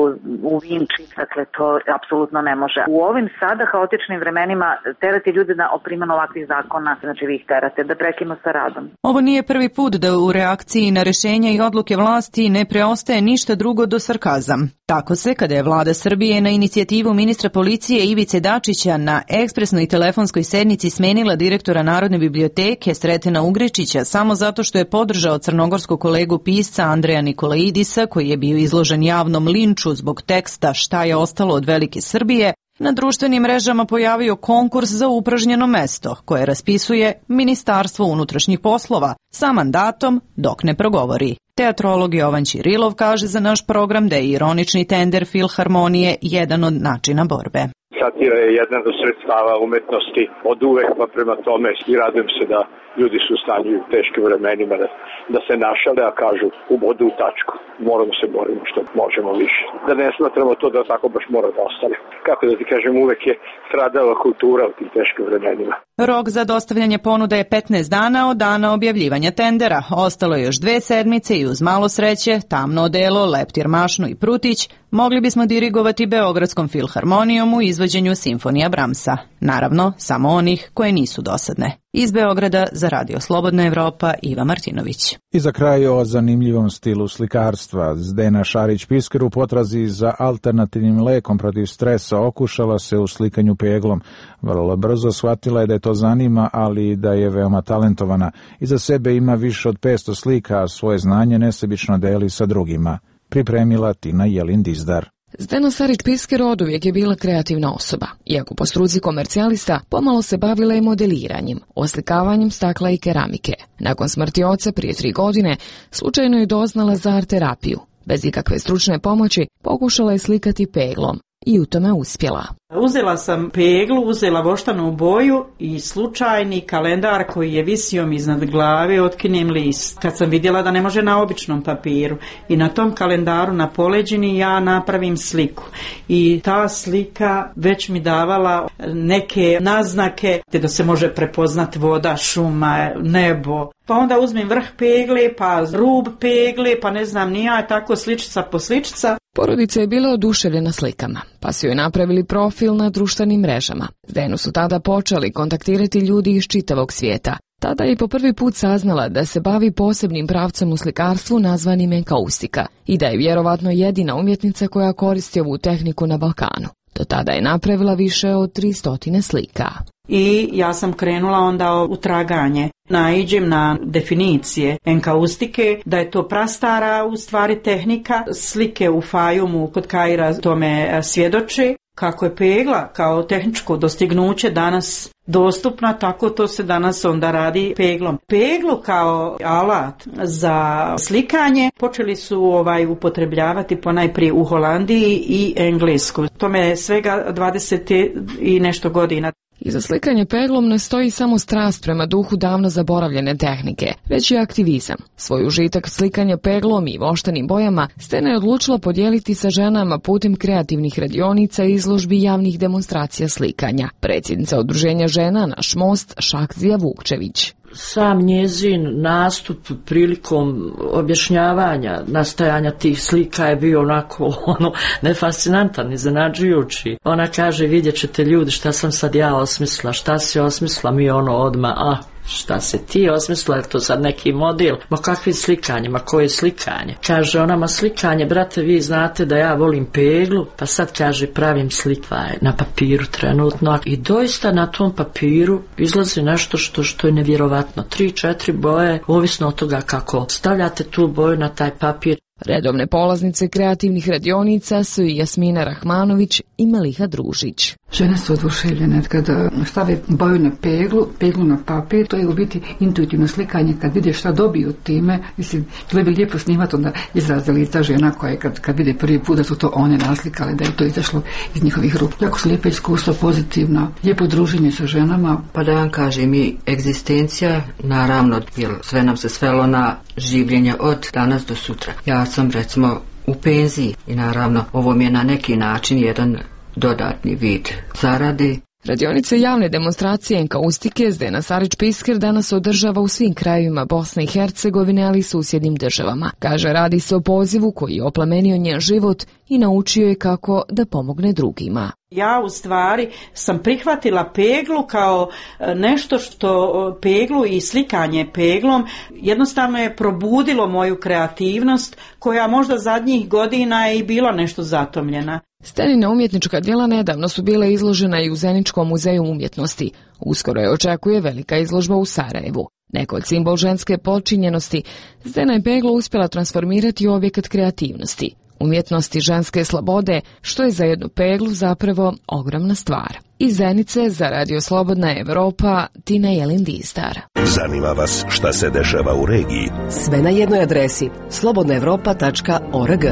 u Vinči, dakle to apsolutno ne može. U ovim sada haotičnim vremenima terati ljude na primjenu ovakvih zakona, znači vi ih terate da prekinu sa radom. Ovo nije prvi put da u reakciji na rešenja i odluke vlasti ne preostaje ništa drugo do sarkazam. Tako se, kada je vlada Srbije na inicijativu ministra policije Ivice Dačića na ekspresnoj telefonskoj sednici smenila direktora Narodne biblioteke Sretena Ugrečića samo zato što je podržao crnogorskog kolegu pisca Andreja Nikolaidisa, koji je bio izložen javnom linču zbog teksta Šta je ostalo od velike Srbije, na društvenim mrežama pojavio konkurs za upražnjeno mesto, koje raspisuje Ministarstvo unutrašnjih poslova sa mandatom dok ne progovori. Teatrolog Jovan Ćirilov kaže za naš program da je ironični tender Filharmonije jedan od načina borbe. Satira je jedan od sredstava umetnosti od uvek, pa prema tome i radujem se da ljudi su u stanju u teškim vremenima da, da se našale, a kažu u bodu u tačku. Moramo se borimo što možemo više. Da ne smatramo to da tako baš mora da ostane. Kako da ti kažem, uvek je stradala kultura u tim teškim vremenima. Rok za dostavljanje ponuda je petnaest dana od dana objavljivanja tendera. Ostalo je još dve sedmice i uz malo sreće, tamno odelo, leptir mašnu i prutić mogli bismo dirigovati Beogradskom filharmonijom u izvođenju simfonija Bramsa. Naravno, samo onih koje nisu dosadne. Iz Beograda za Radio Slobodna Evropa, Iva Martinović. I za kraj o zanimljivom stilu slikarstva. Zdena Šarić-Pisker u potrazi za alternativnim lekom protiv stresa okušala se u slikanju peglom. Vrlo brzo shvatila je da je to zanima, ali i da je veoma talentovana. Iza sebe ima više od petsto slika, a svoje znanje nesebično deli sa drugima. Pripremila Tina Jelin-Dizdar. Zdena Šarić-Pisker oduvijek je bila kreativna osoba. Iako po struci komercijalista, pomalo se bavila i modeliranjem, oslikavanjem stakla i keramike. Nakon smrti oca prije tri godine, slučajno je doznala za art terapiju. Bez ikakve stručne pomoći, pokušala je slikati peglom i u tome uspjela. Uzela sam peglu, uzela voštanu boju i slučajni kalendar koji je visio mi iznad glave, otkinem list. Kad sam vidjela da ne može na običnom papiru i na tom kalendaru na poleđini ja napravim sliku. I ta slika već mi davala neke naznake da se može prepoznati voda, šuma, nebo. Pa onda uzmem vrh pegle, pa rub pegle, pa ne znam ni ja, tako sličica po sličica. Porodica je bila oduševljena slikama, pa su joj napravili profil na društvenim mrežama. Zdenu su tada počeli kontaktirati ljudi iz čitavog svijeta. Tada je po prvi put saznala da se bavi posebnim pravcem u slikarstvu nazvanim enkaustika i da je vjerovatno jedina umjetnica koja koristi ovu tehniku na Balkanu. Do tada je napravila više od tristotine slika. I ja sam krenula onda u traganje. Naiđem na definicije enkaustike, da je to prastara u stvari tehnika. Slike u Fajumu kod Kaira tome svjedoče. Kako je pegla kao tehničko dostignuće danas dostupna, tako to se danas onda radi peglom. Peglu kao alat za slikanje počeli su ovaj upotrebljavati ponajprije u Holandiji i Englesku. Tome je svega dvadeset i nešto godina. Iza slikanje peglom ne stoji samo strast prema duhu davno zaboravljene tehnike, već i aktivizam. Svoj užitak slikanja peglom i voštanim bojama Zdena je odlučila podijeliti sa ženama putem kreativnih radionica i izložbi javnih demonstracija slikanja. Predsjednica Udruženja žena Naš most Šakzija Vukčević. Sam njezin nastup prilikom objašnjavanja nastajanja tih slika je bio onako ono, nefascinantan, iznenađujući. Ona kaže, vidjet ćete ljudi šta sam sad ja osmislila, šta si osmislila, mi ono odmah, ah, šta se ti osmislila, je to sad neki model, ma kakvi slikanje, ma koje slikanje? Kaže ona, ma slikanje, brate, vi znate da ja volim peglu, pa sad kaže pravim slikvaj na papiru trenutno i doista na tom papiru izlazi nešto što, što je nevjerovatno. Tri, četiri boje, ovisno od toga kako stavljate tu boju na taj papir. Redovne polaznice kreativnih radionica su i Jasmina Rahmanović i Meliha Družić. Žene su oduševljene kada stave boju na peglu, peglu na papir, to je u biti intuitivno slikanje, kad vide šta dobiju time, mislim, to bi lijepo snimati onda izraze lica žena koje kad, kad vide prvi put da su to one naslikale, da je to izašlo iz njihovih ruku. Jako su lijepa iskustva, pozitivna, lijepo druženje sa ženama. Pa da vam kažem i egzistencija, naravno, jer sve nam se svelo na življenje od danas do sutra. Ja sam recimo u penziji i naravno ovo mi je na neki način jedan dodatni vid zarade. Radionice javne demonstracije enkaustike Zdena Šarić-Pisker danas održava u svim krajevima Bosne i Hercegovine, ali i susjednim državama. Kaže, radi se o pozivu koji je oplemenio njen život i naučio je kako da pomogne drugima. Ja u stvari sam prihvatila peglu kao nešto što peglu i slikanje peglom jednostavno je probudilo moju kreativnost koja možda zadnjih godina je i bila nešto zatomljena. Stenina umjetnička djela nedavno su bile izložena i u Zeničkom muzeju umjetnosti. Uskoro je očekuje velika izložba u Sarajevu. Neko od simbol ženske počinjenosti, Zdena je peglu uspjela transformirati u objekat kreativnosti, umjetnosti ženske slobode, što je za jednu peglu zapravo ogromna stvar. Iz Zenice za Radio Slobodna Evropa, Tina Jelin-Dizdar. Zanima vas šta se dešava u regiji? Sve na jednoj adresi slobodna evropa tačka org.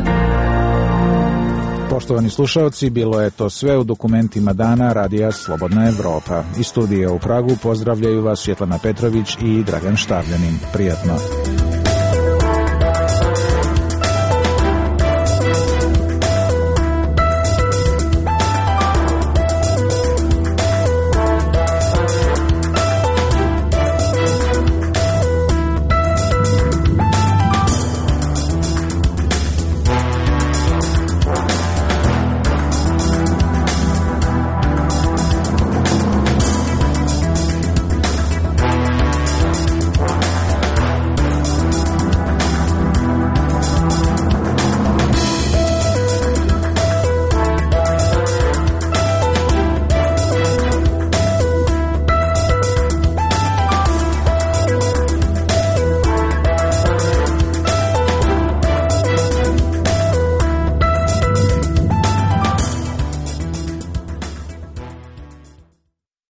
Poštovani slušalci, bilo je to sve u dokumentima dana Radija Slobodna Evropa. Iz studija u Pragu pozdravljaju vas Svjetlana Petrović i Dragan Štavljanin. Prijatno.